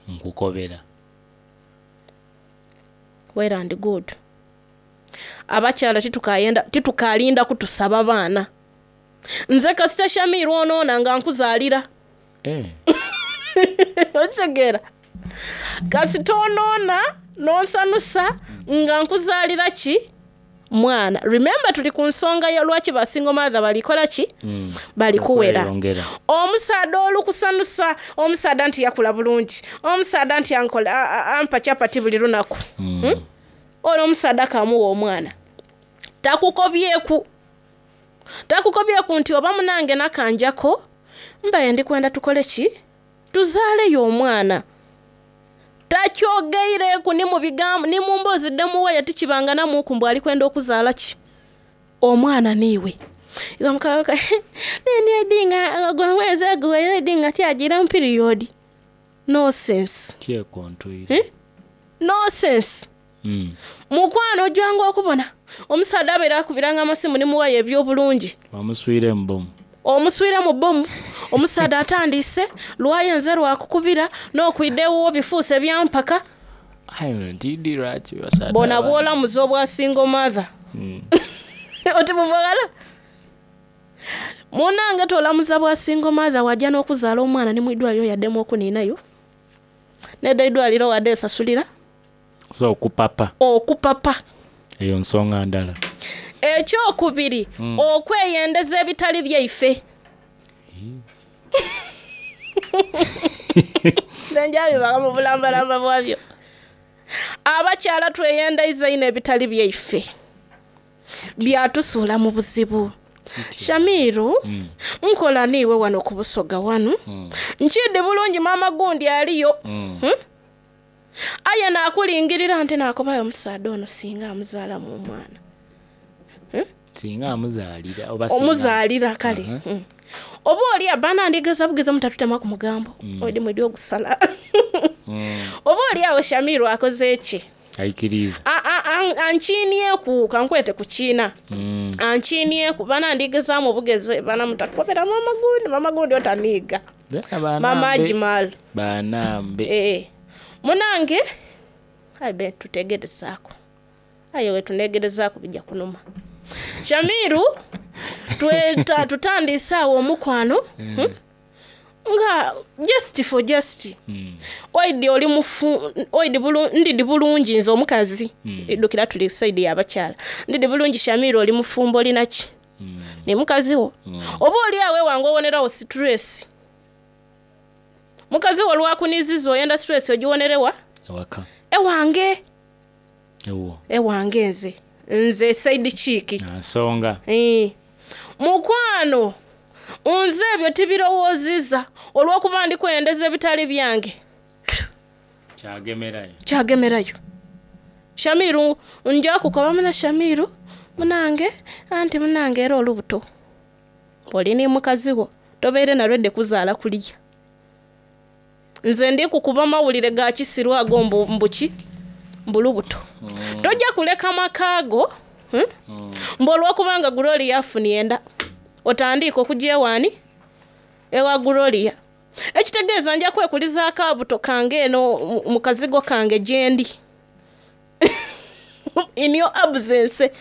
Nkukobera. Well and good. Abakyala titukayenda titukalinda kutusaba baana. Nze kasita Shamiru onoona nga nkuzaalira. Okitegeera? Kasita onoona n'onsanusa nga nkuzaalira ki? Mwana. Remember tuli ku nsonga ya lwaki ba single mother balikola ki? Balikuwera. Okweyongera. Omusaadha olukusanusa, omusaadha nti yakula bulungi, omusaadha nti ankola, ampa chapati buli lunaku. Ono omusaadha kamuwa omwana. Takukobyeku. Takukobyeku nti oba munange nakanjako, mbaye ndi kwenda tukole ki? Tuzaaleyo omwana. Takyogeireku ni mu bigambo, ni mu mboozi dhemuwaye tikibanga namuku mbu ali kwenda okuzaala ki? Omwana niiwe. Iwe mukabaka, nini edinga, gwe mwezi aguwaire edinga tyagira mu period. No sense. Tyekontwire. No sense. Mukwano ojjanga okubona omusaadha abeera akubiranga amasimu nimuwayo ebyobulungi. Wamuswire mu bomu. Omuswire mu bomu. Omusaadha atandiise lwayenze lwakukubira n'okwidha ewuwo bifuuse byampaka. Aye ntidi lwaki basaadha Bona abangi. bw'olamuza obwa single mother. Oti buvagala. Munange tolamuza bwa single mother wajja n'okuzaala omwana ni mwidwaliro yaddemu okuniinayo. Nedda eidwaliro wadde esasulira. So okupapa. Okupapa. Eyo nsonga ndala. Ekyokubiri, okweyendeza ebitali byaife. Nze njabibala mu bulambalamba bwabyo. Abakyala tweyendeiza ino ebitali byaife, byatusuula mu buzibu. Shamiru, nkola niiwe wano ku Busoga wano, nkidi bulungi maama gundi aliyo. Aye nakulingirira nti nakubayo omusaadha ono singa amuzaalamu omwana. Singa amuzaalira oba singa- Omuzaalira kale. Oba oli abana ndigeza bugeza mutatutema ku mugambo, odi mwidi ogusala. Oba oli awo Shamiru akoze eki? Aikiriza. Ankiinieku, kankwete ku kiina. Ankiinieku, bana ndigezaamu obugeze, bana mutakobera mama gundi, mama gundi otaniiga. Mama Ajimal. Banambe. Munange, aye be tutegerezaako. Aye we tunegerezaako bijja kunuma. Shamiru, tutandise awo omukwano, Nga just for just. Oidi oli mufu, oidi ndidi bulungi nze omukazi. Iddukira tuli side y'abakyala. Ndidi bulungi Shamiru oli mufumbo oli naki? Ne mukazi wo. Oba oli awe wange owonerawo stress. Mukazi wo lwakuniziza oyenda stress ogiwonerewa? Ewaka. Ewange. Ewo. Ewange nze. Nze side chick. Nsonga. Mukwano, nze ebyo tibirowooziza olw'okuba ndi kwendeza ebitali byange. Kyagemerayo. Kyagemerayo. Shamiru, nja kukoba muna Shamiru, munange, anti munange era olubuto. Oli ni mukazi wo, tobeere na lwedde kuzaala kuliya. Nze ndi kukuba mawulire ga kisiru ago mbuki, mbulubuto. Tojja kuleka makaago, Mbu olw'okubanga Gloria afunye enda, otandika okujja ewaani? Ewa Gloria. Ekitegeeza nja kwekulizaako abuto kange eno mu kazigo kange gye ndi. In your absence.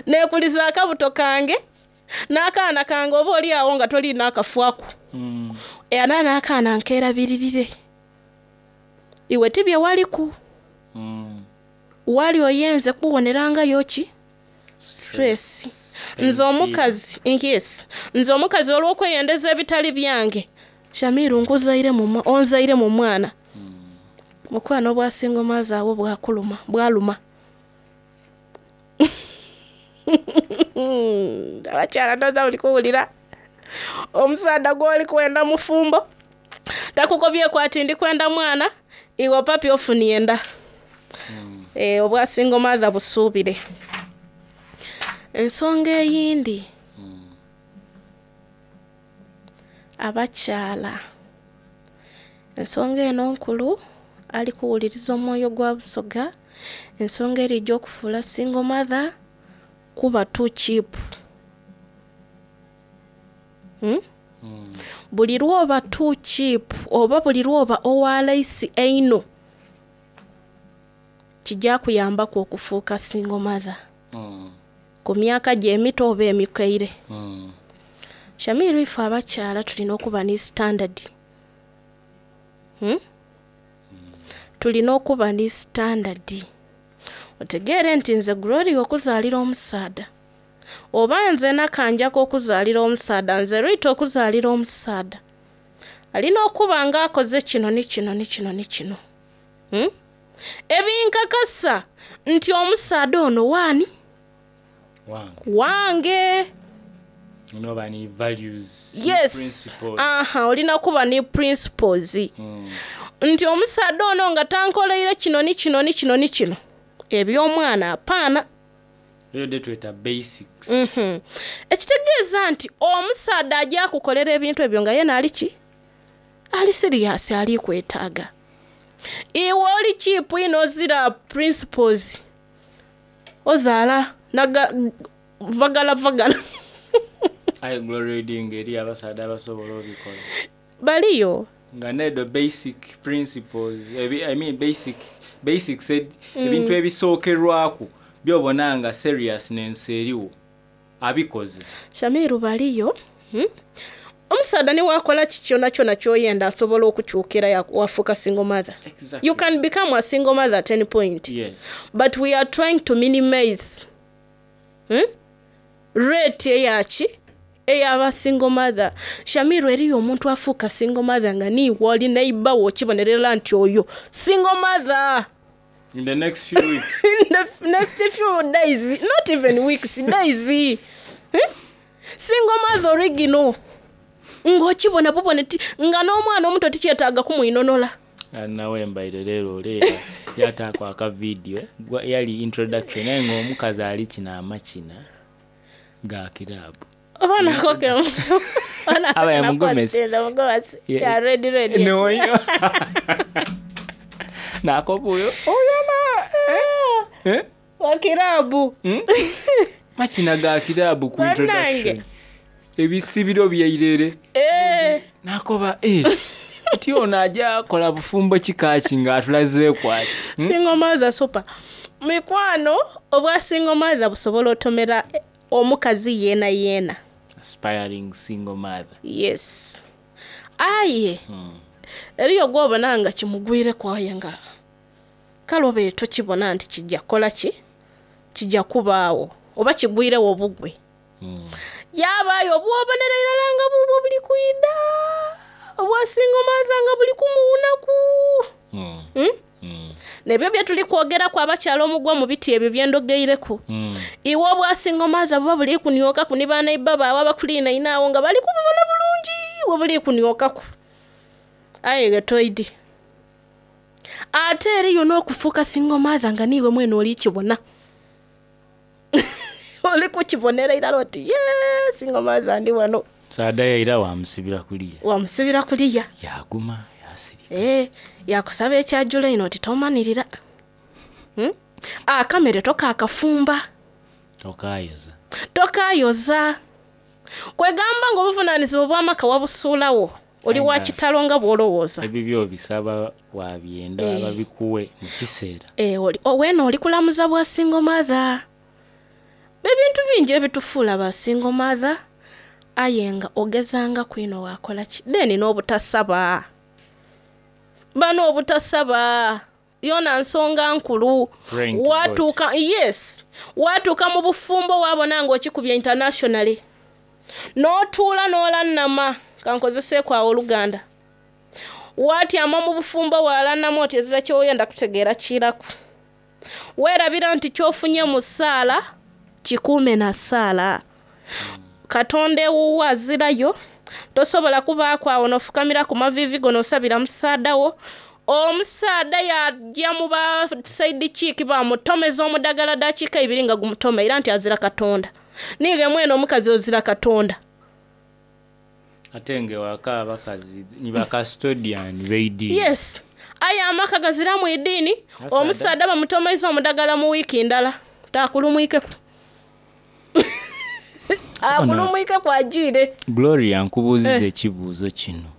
Neekulizaako abuto kange n'akaana kange oba oli awo nga toliina akafu ako. Era n'akaana nkeerabiririre. Iwe tibye waliku. Wali oyenze kuwonerangayo ki? Stress. Nze omukazi, yes. Nze omukazi olw'okweyendeza ebitali byange. Shamiru nkuzaire mu onzaire mu mwana. Mukwano obwasinga omwazi awo bwakuluma, bwaluma. Abakyala ndoza buli kuwulira. Omusaadha gw'oli kwenda mufumbo. Takukobyeko ati ndi kwenda mwana, iwe papi ofunye enda. Obwasinga omwaza busuubire. Ensonga eyindi. Abakyala. Ensonga eno nkulu ali kuwuliriza omwoyo gwa Busoga. Ensonga erijja okufuula single mother kuba too cheap. Buli lw'oba too cheap oba buli lw'oba owa layisi eino kijja kuyambaku okufuuka single mother. Ku myaka gye emito oba emikaire. Shamiru ife abakyala tulina okuba ne standard. Tulina okuba ne standard. Otegeere nti nze Gloria okuzaalira omusaadha. Oba nze Nakanjako okuzaalira omusaadha, nze Rita okuzaalira omusaadha. Alina okuba ng'akoze kino ni kino ni kino ni kino. Ebinkakasa nti omusaadha ono waani? Wange. Wange. Noba ni values, ni Yes. principles. Aha, olina kuba ni principles. Nti omusaadha ono nga tankoleire kino ni kino ni kino ni kino. Eby'omwana apaana. Eyo de tweta basics. Ekitegeeza nti omusaadha ajja kukolera ebintu ebyo nga yena ali ki? Ali serious, ali kwetaaga. Iwe oli cheap ino ozira principles. Ozaala naga vagala vagala. Aye Glory reading eri abasaadha abasobola obikola. Baliyo. Nga nedo basic principles, I mean basic, basic said, ebintu ebisookerwako by'obona nga seriousness eriwo abikoze. Shamiru baliyo. Omusaadha niwakola ki kyona kyona kyoyenda asobola okukyukira wafuuka single mother. Exactly. You can become a single mother at any point. Yes. But we are trying to minimize Rate eyaki eyaba single mother. Shamiru, eriyo omuntu afuuka single mother nga niiwe oli neighbor wo okibonerera nti oyo single mother. In the next few weeks. In the next few days, not even weeks, days. Eh? Single mother original. Ng'okibona bubone ti nga n'omwana omuto tikyetaaga kumwinonola. Nawe mbaire leero oleera yataako akavidiyo yali introduction naye ng'omukazi ali kino amakina ga kiraabu. Oba nako ke Aba ya mugomesi. Ya ready ready. Noyo. Nakobuyo. Oyana. Eh? Wa kiraabu. Makina ga kiraabu ku Bannange. introduction. Ebisibiro byairere. Eh. Nakoba eh. Ti ono ajja kola bufumbo kikaaki ng'atulazeeku ati. Single mother super. Mikwano obwa single mother busobola otomera omukazi yeena yeena. Aspiring single mother. Yes. Aye. Eriyo gw'obona nga kimugwireku aye nga kale oba tokibona nti kijja kukola ki? Kijja kubaawo oba kigwirewo obugwe. Yabaayo obwobonera irala nga bubwo buli kwida obwa single mother nga buli kumuwunaku. Nebyo bye tuli kwogeraku abakyala omugwa mu biti ebyo byendogeireku. Iwe obwa single mother buba buli kuniokaku ni banaiba baawe abakuliinaine awo nga bali kububona bulungi we buli kuniokaku. Aye ge toidi. Ate eriyo n'okufuuka single mother nga niiwe mwene oli kibona. Oli kukibonera irala oti ye single mother ndi wano. Saada yaira wamusibira kuliya. Wamusibira kuliya. Yaguma yasirika. Yakusaba ekyajula ino oti tomanirira. Akamere tokaakafumba. Tokayoza. Tokayoza. Kwegamba ng'obuvunaanyizibwa bw'amaka wabusuulawo. Oli wa Aina. kitalo nga bw'olowooza. Ebibyo obisaba wabyenda babikuwe mu kiseera. Oli oweena oli kulamuza bwa single mother. Ebintu bingi ebitufuula ba single mother aye nga ogezanga kwino wakola ki? Then n'obutasaba. Bano obutasaba yona nsonga nkulu. Praying to God. Watuuka, yes, watuuka mu bufumbo waabona ng'okikubye internationally. N'otuula n'olannama, kankozeseeko awo Oluganda. Watyama mu bufumbo walannama oti ezira ky'oyenda kutegeera kiraku. Weerabira nti ky'ofunye mu ssaala kikuume na ssaala. Katonda ewuwo azirayo, tosobola kubaako awo n'ofukamira ku maviivi go n'osabira musaada wo. Omusaada yajja mu ba side chick bamutomeza omudagala dakiika ibiri nga gumutoma era nti azira Katonda. Niiwe mwene omukazi ozira Katonda. Ate ng'ewaka abakazi ni ba custodian b'eddiini. Yes. Aye amaka gaziramu eddiini, Asaada. omusaada bamutomeza omudagala mu wiiki ndala. Taakulumwikeku. Akulumwikeku agiire. Gloria nkubuuziza ekibuuzo kino.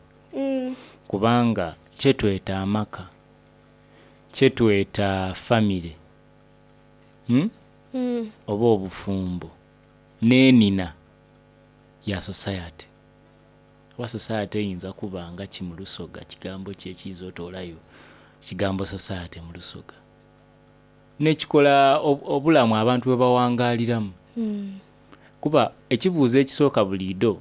Kubanga kyetweta amaka, kyetweta famire, Oba obufumbo n'enina ya society. Oba society eyinza kuba nga ki mu Lusoga, kigambo ki ekiyinza otoolayo kigambo society mu Lusoga. N'ekikola obulamu abantu bwe bawangaaliramu. Kuba ekibuuzo ekisooka buliido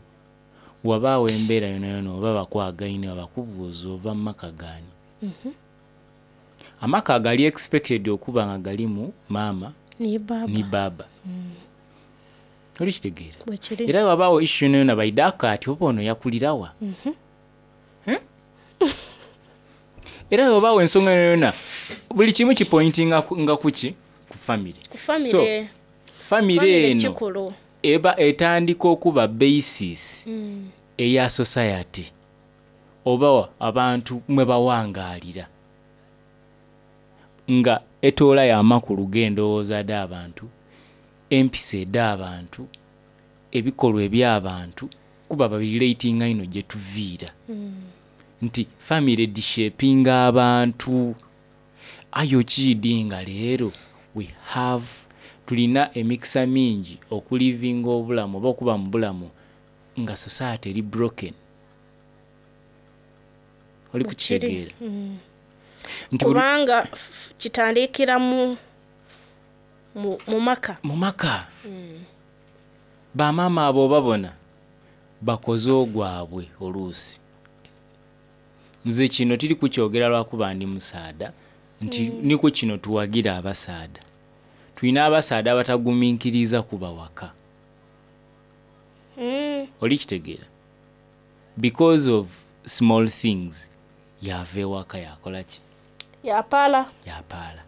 wabaawo embeera yonayona oba bakwagaine bakubuuza ova mu maka gaani. Amaka gali expected okuba nga galimu maama Ni baba. ni baaba. Oli kitegeera? Bwe kiri. Era wabaawo issue yonayona baidako ati oba ono yakulirawa. Eh? Era wabaawo ensonga yonayona buli kimu kipointinga nga kuki? Ku family. Ku family. So, family Family eno kikulu. eba etandika okuba basis eya society oba abantu mwe bawangaalira nga etoolayo amakulu g'endowooza dh'abantu, empisa edh'abantu, ebikolwa eby'abantu kuba babirelatinga ino gye tuviira. Nti family dishapinga abantu. Aye okiidi nga leero we have tulina emikisa mingi okulivinga obulamu oba okuba mu bulamu nga society eri broken. Oli kukitegeera nti buli- Kubanga kitandikira mu maka. Mu maka. Bamaama abo babona bakoze ogwabwe oluusi. Nze kino tiri kukyogera lwakuba ndi musaada nti niko kino tuwagira abasaada. Tulina abasaada abatagumiikiriza kuba waka. Oli kitegeera, because of small things yava ewaka yakola ki? Yapaala. Yapaala,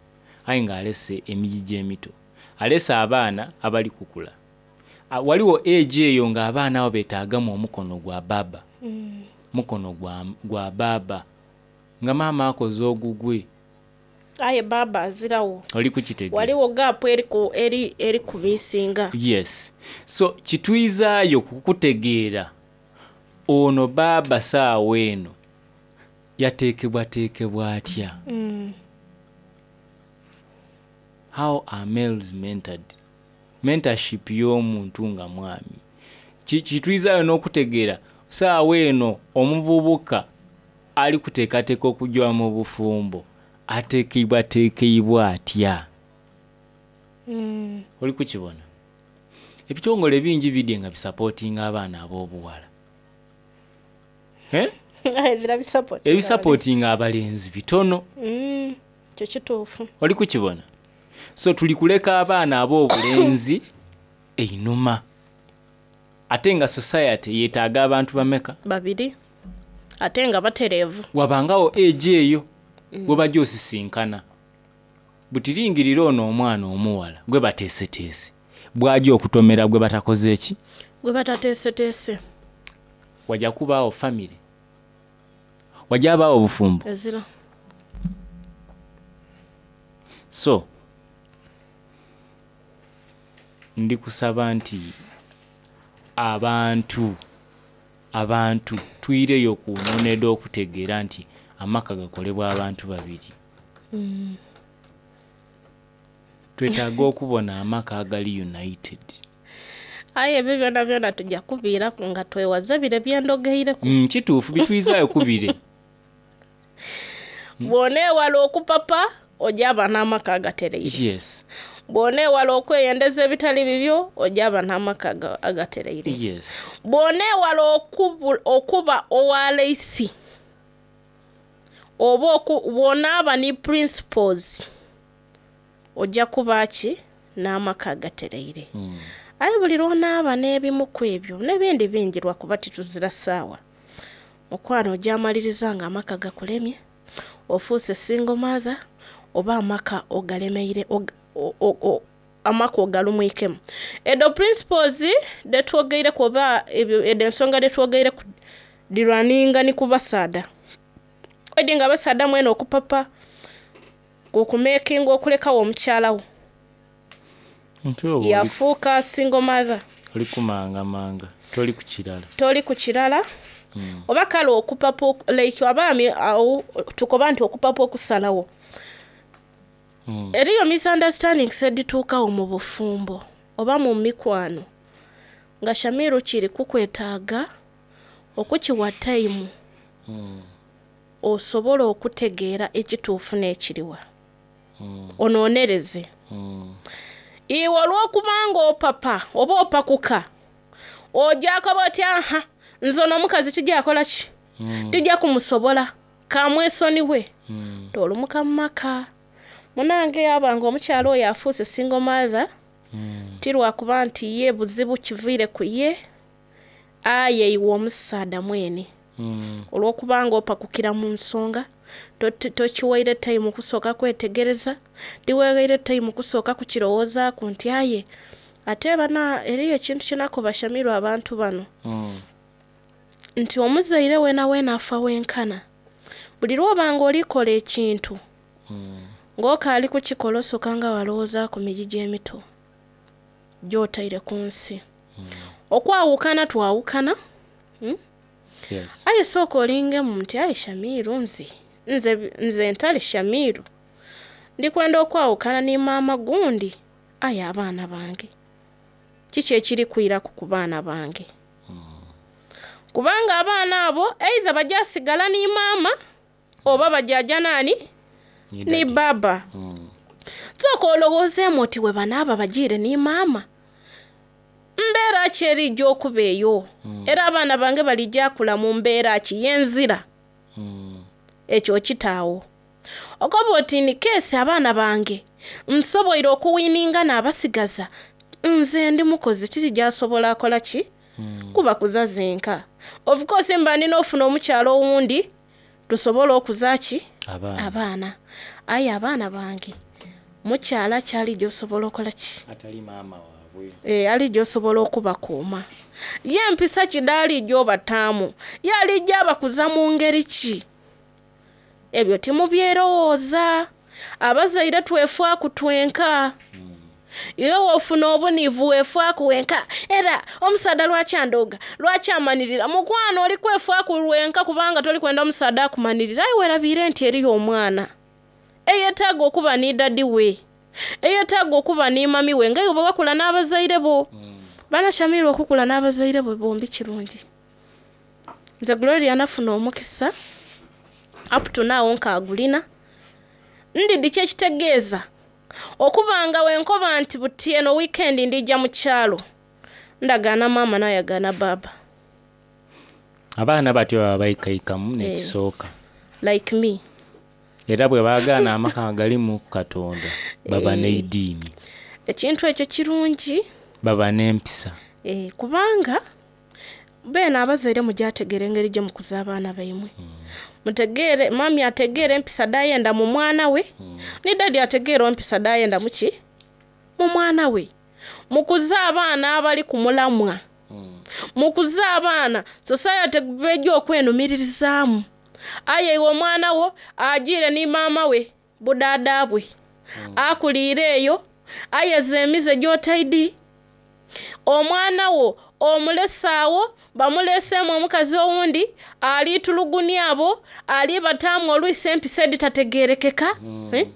aye ng'alese emigigi emito, alese abaana abali kukula. Waliwo age eyo ng'abaana abo beetaagamu omukono gwa baba, mukono gwa baba, nga maama akoze ogugwe. Aye baba azirawo. Oli kukitegeera? Waliwo gaapu eri kumisinga. Yes, so kitwizaayo kukutegeera ono baaba saawa eno yateekebwateekebwa atya. How are males mentored? Mentorship y'omuntu nga mwami. Kitwizaayo n'okutegeera saawa eno omuvubuka ali kuteekateeka okujja mu bufumbo ateekebwateekebwa atya. Oli kukibona, ebitongole bingi bidye nga bisapootinga abaana ab'obuwala, Eh? Ezira bisapoti. Ebisapootinga abalenzi bitono. Kyo kituufu. Oli kukibona? So tuli kuleka abaana ab'obulenzi einuma, ate nga society yeetaaga abantu bameka? Babiri, ate nga batereevu. Wabangawo age eyo gwe bajja osisinkana butiringirira ono omwana omuwala gwe bateeseteese bwajja okutomera gwe batakoze eki? Gwe batateeseteese. Wajja kubaawo famire, wajja abaawo obufumbo. Ezira. So ndi kusaba nti abantu tuyireyo ku nnono okutegeera nti amaka gakolebwa abantu babiri. Twetaaga okubona amaka agali united. Aye ebyo byona byona tujja kubiiraku nga twewaze bire byendogeireku. Kituufu, bitwizaayo kubire. Bw'oneewala okupapa ojaba n'amaka agatereire. Bw'oneewala okweyendeza ebitali bibyo ojaba n'amaka agatereire. Bw'oneewala okuba owaleisi oba bw'onaaba ni principles ojja kuba ki n'amaka agatereire. Aye buli lw'onaaba n'ebimu ku ebyo n'ebindi bingi lwakuba tituzira ssaawa, mukwano, ojja amaliriza nga amaka gakulemye, ofuuse single mother oba amaka ogalemeire amaka ogalumwikemu. Edo principles detwogeireku oba ebyo edo ensonga detwogeireku dirwaninga ni ku basaada edi nga abasaada mwene okupapa okumekinga okulekawo omukyala wo Nti oba yafuuka single mother. Oli kumangamanga, toli ku kirala. Toli ku kirala oba kale okupapa like abaami awo tukoba nti okupapa okusalawo. Eriyo misunderstandings edituukawo mu bufumbo oba mu mikwano nga Shamiru kiri kukwetaaga okukiwa time osobola okutegeera ekituufu n'ekiriwa, onoonereze. Iwe olw'okubanga opapa oba opakuka ojakoba oti aha, nze ono omukazi tijakola ki, tijja kumusobola, kamwesoniwe. Tolumuka mu maka munange yabanga omukyalo oyo afuuse single mother. Ti lwakuba nti ye buzibu kiviire ku ye, aye iwe omusaada mwene olw'okubanga opakukira mu nsonga tokiwaire time kusooka kwetegereza, tiweweire time kusooka kukirowoozaaku nti aye ate bana eriyo ekintu kyenakoba Shamiru abantu bano nti omuzaire weena weena afa wenkana buli lw'obanga olikola ekintu ng'okaali kukikola osooka nga walowoozaku migigi emito gy'otaire ku nsi. Okwawukana twawukana. Aye sooka olingemu nti aye Shamiru nze ntali Shamiru ndikwenda okwawukana ni maama gundi, aye abaana bange kiki ekiri kwiraku ku baana bange? Kubanga abaana abo either bajasigala ni maama. Oba bajaja naani ni baba. Sooka olowoozeemu oti we banaaba bajiire ni maama, mbeera ki eriija okuba eyo? Era abaana bange balija kula mu mbeera ki y'enzira? Ekyo okitaawo. Okoba oti ni keesi abaana bange nsoboire okuwininga n'abasigaza, nze ndi mukozi tirijasobola akola ki? Kubakuza zenka. Of course mba ndina ofuna omukyalo owundi tusobole okuza ki? Abaana. Abaana. Aye abaana bange mukyala kyali gy'osobola okola ki? Atali maama waabwe. E, ali gy'osobola okubakuuma. Ye empisa kidaali gy'obataamu, ye alijja abakuza mu ngeri ki? Ebyo timubyerowooza. Abazaire twefaaku twenka. Iwe w'ofuna obuniivu weefaaku wenka. Era omusaadha lwaki andooga? Lwaki amanirira? Mukwano oli kwefaaku lwenka kubanga toli kwenda omusaadha akumanirira. Aye weerabiire nti eriyo omwana eyeetaaga okuba ni dadi we, eyeetaaga okuba ni mami we, nga iwe bwe wakula n'abazaire bo. Bana Shamiru okukula n'abazaire bo bombi kirungi. Nze Gloria nafuna omukisa up to now nkaagulina. Ndidi kye kitegeeza okuba nga wenkoba nti buti eno weekend ndijja mu kyalo, ndagaana maama n'ayagaana baaba. Abaana batyo baba baikaikamu n'ekisooka. Like me. Era bwe baagaana amaka nga galimu Katonda, baba n'eidiini. Ekintu ekyo kirungi. Baba n'empisa. E, kubanga beene abazaire mujategeera engeri gye mukuza abaana baimwe. Mutegeere, mami ategeere empisa dhayenda mu mwana we, ni dadi ategeere empisa dhayenda mu ki? Mu mwana we. Mukuze abaana abali ku mulamwa. Mukuze abaana society bejja okwenumiririzaamu. Aye iwe omwana wo ajiire ni maama we budaada bwe. Akuliire eyo, ayeza emize gy'otaidi. Omwana wo omulesaawo, bamuleseemu omukazi owundi, aliitulugunya abo, alibataamu olwisi empisa edhitategeerekeka. Eh?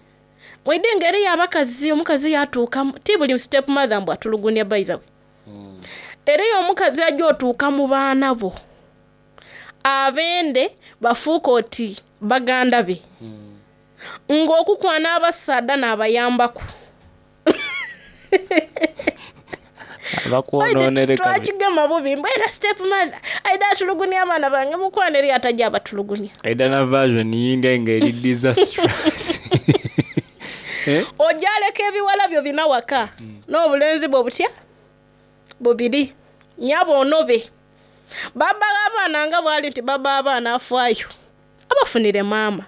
Mwidhi nga eriyo abakazi, omukazi yatuuka, ti buli step mother mbu atulugunya by the way. Eriyo omukazi ajja otuuka mu baana bo, abende bafuuka oti baganda be. Ng'okukwana abasaadha n'abayambaku. Abakwonoonere kabi. Twakigema bubi mbu era step mother aida atulugunya abaana bange, mukwano eri atajja abatulugunya. Aida na version yindi nga eri disastrous. Eh? Ojja aleka ebiwala byo bina waka n'obulenzi bwo butya bubiri, nyabo onobe. Baba abaana nga bwali nti baba abaana afaayo abafunire maama.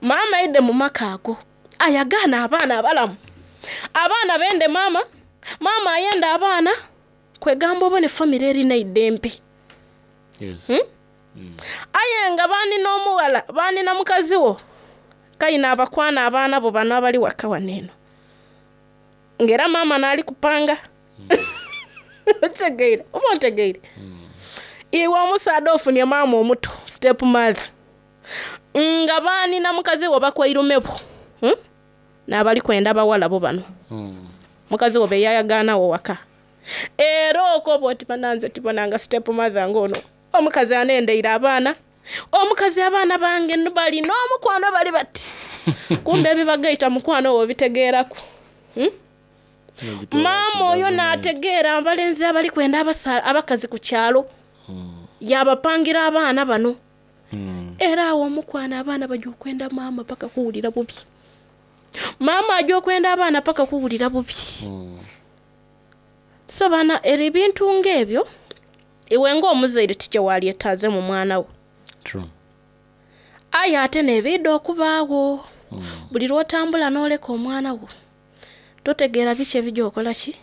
Maama aidde mu maka ago ayagaana abaana abalamu. Abaana bende maama, maama ayenda abaana, kwegamba obone famire erina eidembe. Yes. Aye nga banina omuwala, banina mukazi wo, kayina abakwana abaana bo bano abali waka wano eno. Ng'era maama n'ali kupanga. Otegeire, oba ontegeire? Iwe omusaadha ofunye maama omuto, step mother. Nga banina mukazi wo bakwairume bo. N'abali kwenda bawala bo bano. Mukazi wo be yayagaanawo waka. Era okoba oti bananze tibonanga step mother ng'ono. Omukazi anendeire abaana. Omukazi abaana bange bali n'omukwano bali bati. Kumbe ebibagaita mukwano wo bitegeeraku. Maama oyo n'ategeera abalenzi abali kwenda abakazi ku kyalo. Yabapangira abaana bano. Era awo omukwano abaana bajja okwenda maama paka kuwulira bubi. Maama ajja okwenda abaana paka kuwulira bubi. So bana era ebintu ng'ebyo iwe ng'omuzaire tikye walyetaaze mu mwana wo. True. Aye ate n'ebiidha okubaawo. Buli lw'otambula n'oleka omwana wo, totegeera biki ebijja okola ki?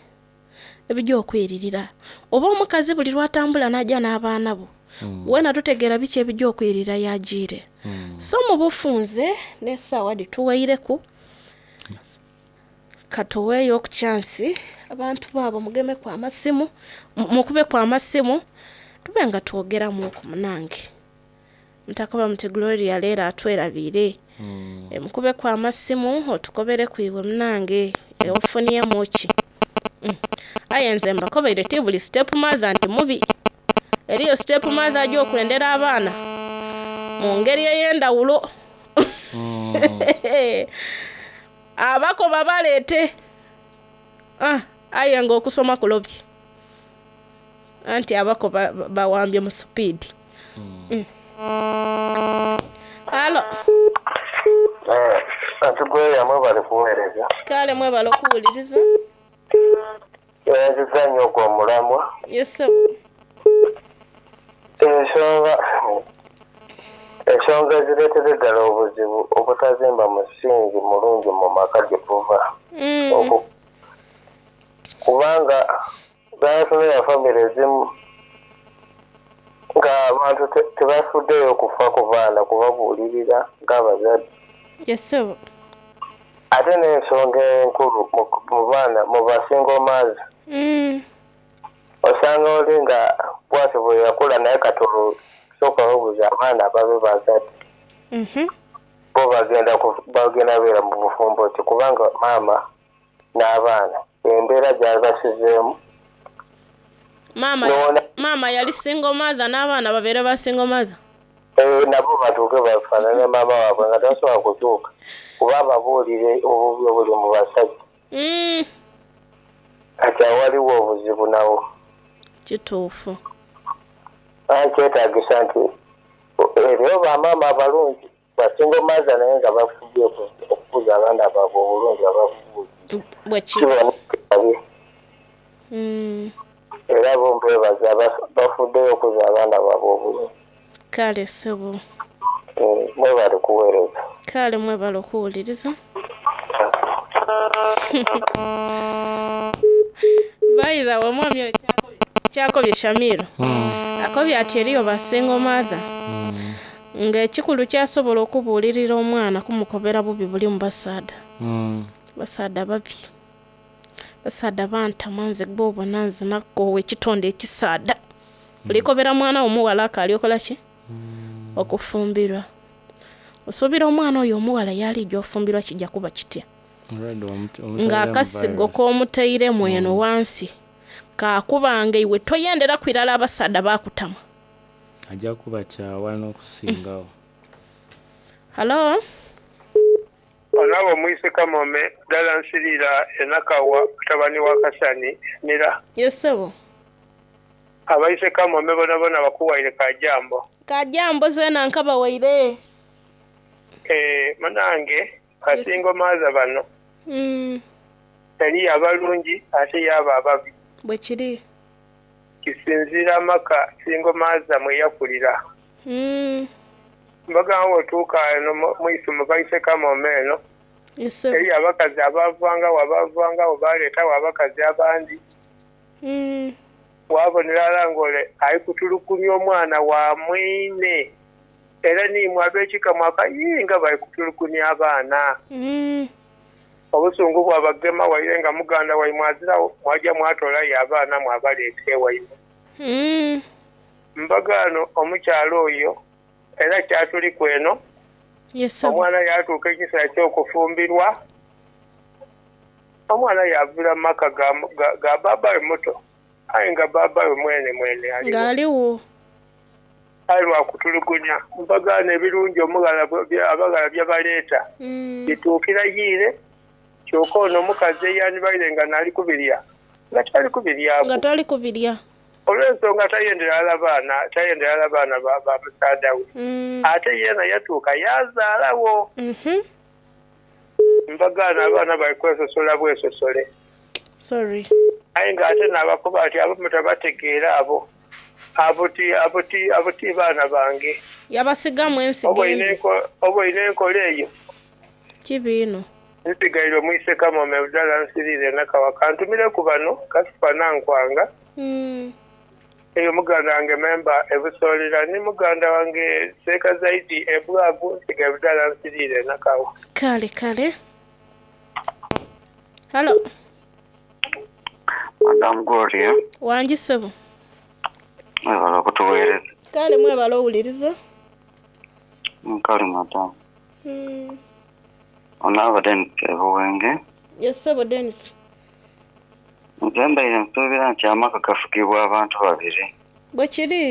Ebijja okwiririra. Oba omukazi buli lw'atambula n'ajja n'abaana bo, weena totegeera biki ebijja okwiririra yagiire. So mu bufunze n'essaawa dhituweireku, katuweeyo ku chance abantu baabo mugemeku amasimu, mukubeku amasimu, tube nga twogeramu oku munange. Mutakoba muti Gloria leero atwerabiire. Mukubeku amasimu otukobereku iwe munange ofunyemu ki. Aye nze mbakobeire ti buli step mother nti mubi. Eriyo step mother ajja okwendera abaana. Mu ngeri ey'endawulo. Abakoba baleete. Ah, aye nga okusoma kulobye. Anti abako bawambye mu supiidi. Halo. Anti Gloria mwebale kuweereza. Kale mwebale okuwuliriza. Tweyanzizza nnyo ogwo omulamwa. Yes ssebo. Ensonga ensonga ezireetera eddala obuzibu obutazimba musingi mulungi mu maka gye tuva. Kubanga bw'otunula famire ezimu ng'abantu tebafuddeeyo kufa ku baana kubabuulirira ng'abazadde. Yes ssebo. Ate n'ensonga enkulu mu baana mu ba single mothers. Osanga oli nga bw'atyo bwe yakula naye kati olwo sooka weebuuze abaana ababe bazadde. Bo bagenda bagenda beera mu bufumbo ki kubanga maama n'abaana embeera gy'abasizeemu. Maama maama yali single mother n'abaana babeere ba single mother. Nabo batuuke bafaanane maama waabwe nga tasobola kutuuka kuba ababuulire obubi obuli mu basajja. Kati awo waliwo obuzibu nawo. Kituufu. Kyetaagisa nti eriyo bamaama abalungi ba single mother naye nga bafubye okukuza abaana baabwe obulungi ababuulire. Bwe kiri. Era bo mbeebaza bafuddeyo okuza abaana baabwe obulungi. Kale ssebo. Mwebale kuweereza. Kale mwebale okuwuliriza. By the way, omwami oyo kyakobye Shamiru. Akobye ati eriyo ba single mother. Ng'ekikulu kyasobola okubuulirira omwana kumukobera bubi buli mu basaadha. Basaadha babi. Basaadha bantama nze gw'obona nze nakoowa ekitonde ekisaadha. Olikobera mwana wo omuwala akaali okola ki? Okufumbirwa. Osuubira omwana oyo omuwala y'alijja ofumbirwa kijja kuba kitya? Ng'akasigo k'omutairemu eno wansi kaakubanga iwe toyenderaku irala abasaadha baakutama. Ajja kuba kyawa n'okusingawo. Halo? Onaba omwise Kamome ddala nsirira e Nakawa mutabani wa Kasani Mira. Yes ssebo. Abaise Kamome bonabona bakuwaire ka jambo. Ka jambo zeena nkabawaire. Eeh munange ba single mother bano eriyo abalungi ate yaaba ababi. Bwekiri. Kisinziira amaka single mother mweyakulira. Mbagamba bwotuuka eno mwisumo baise Kamome eno eriyo abakazi abavangagho abavangagho baleetagho abakazi abandi. Wabonera ghala nga ole ali kutulugunya omwana wa mwine. Era n'imwe ab'ekika mwaka, Yii, nga bali kutulugunya abaana! Obusungu bwabagema waire nga muganda waimwe aziragho, mwaja mwatoolayo abaana mwabaleeta ewaimwe. Mbagaano omukyala oyo era kyatuliku eno, omwana yaatuuka ekiseera eky'okufumbirwa, omwana yaavira mu maka ga bbaabba we muto. Aye nga bbaabba we mwenemwene aligho. Ng'aligho. Aye lwa kutulugunya mpagaano ebirungi omughala abaghala bye baleeta bituukira yiire, kyoka ono omukazi eyandibaire nga naali kubirya nga tali kubiryaku. Nga tali kubirya. Olw'ensonga tayendera ghala baana, tayendera ghala baana ba musaadha we. Ate yeena yatuuka yaazaalagho. Mpagaano abaana bali kwesosola bwesosole. Sorry. Aye nga ate naabakoba ati, Abo mutabategeera abo. Abo ti, abo ti, abo ti baana bange. Yabasigamu ensigo embi. Oboine enkola eyo? Kibi inho. Nsigaire omwise Kamome Abdallah Nsiriire Nakawa. Ka ntumireku bano, Kasifa Nankwanga, eyo muganda wange Memba e Busoolira ni muganda wange Seeka Zaidi e Bwagu. Nsigaire Abdallah Nsiriire Nakawa. Kale kale. Halo. Madam Gloria. Wangi ssebo. Mwebale okutuweereza. Kale mwebale owuliriza. Kale madam. Ono aba Denis e Buwenge. Yes ssebo Denis. Nze mbaire nsuubira nti amaka gafugibwa abantu babiri. Bwekiri.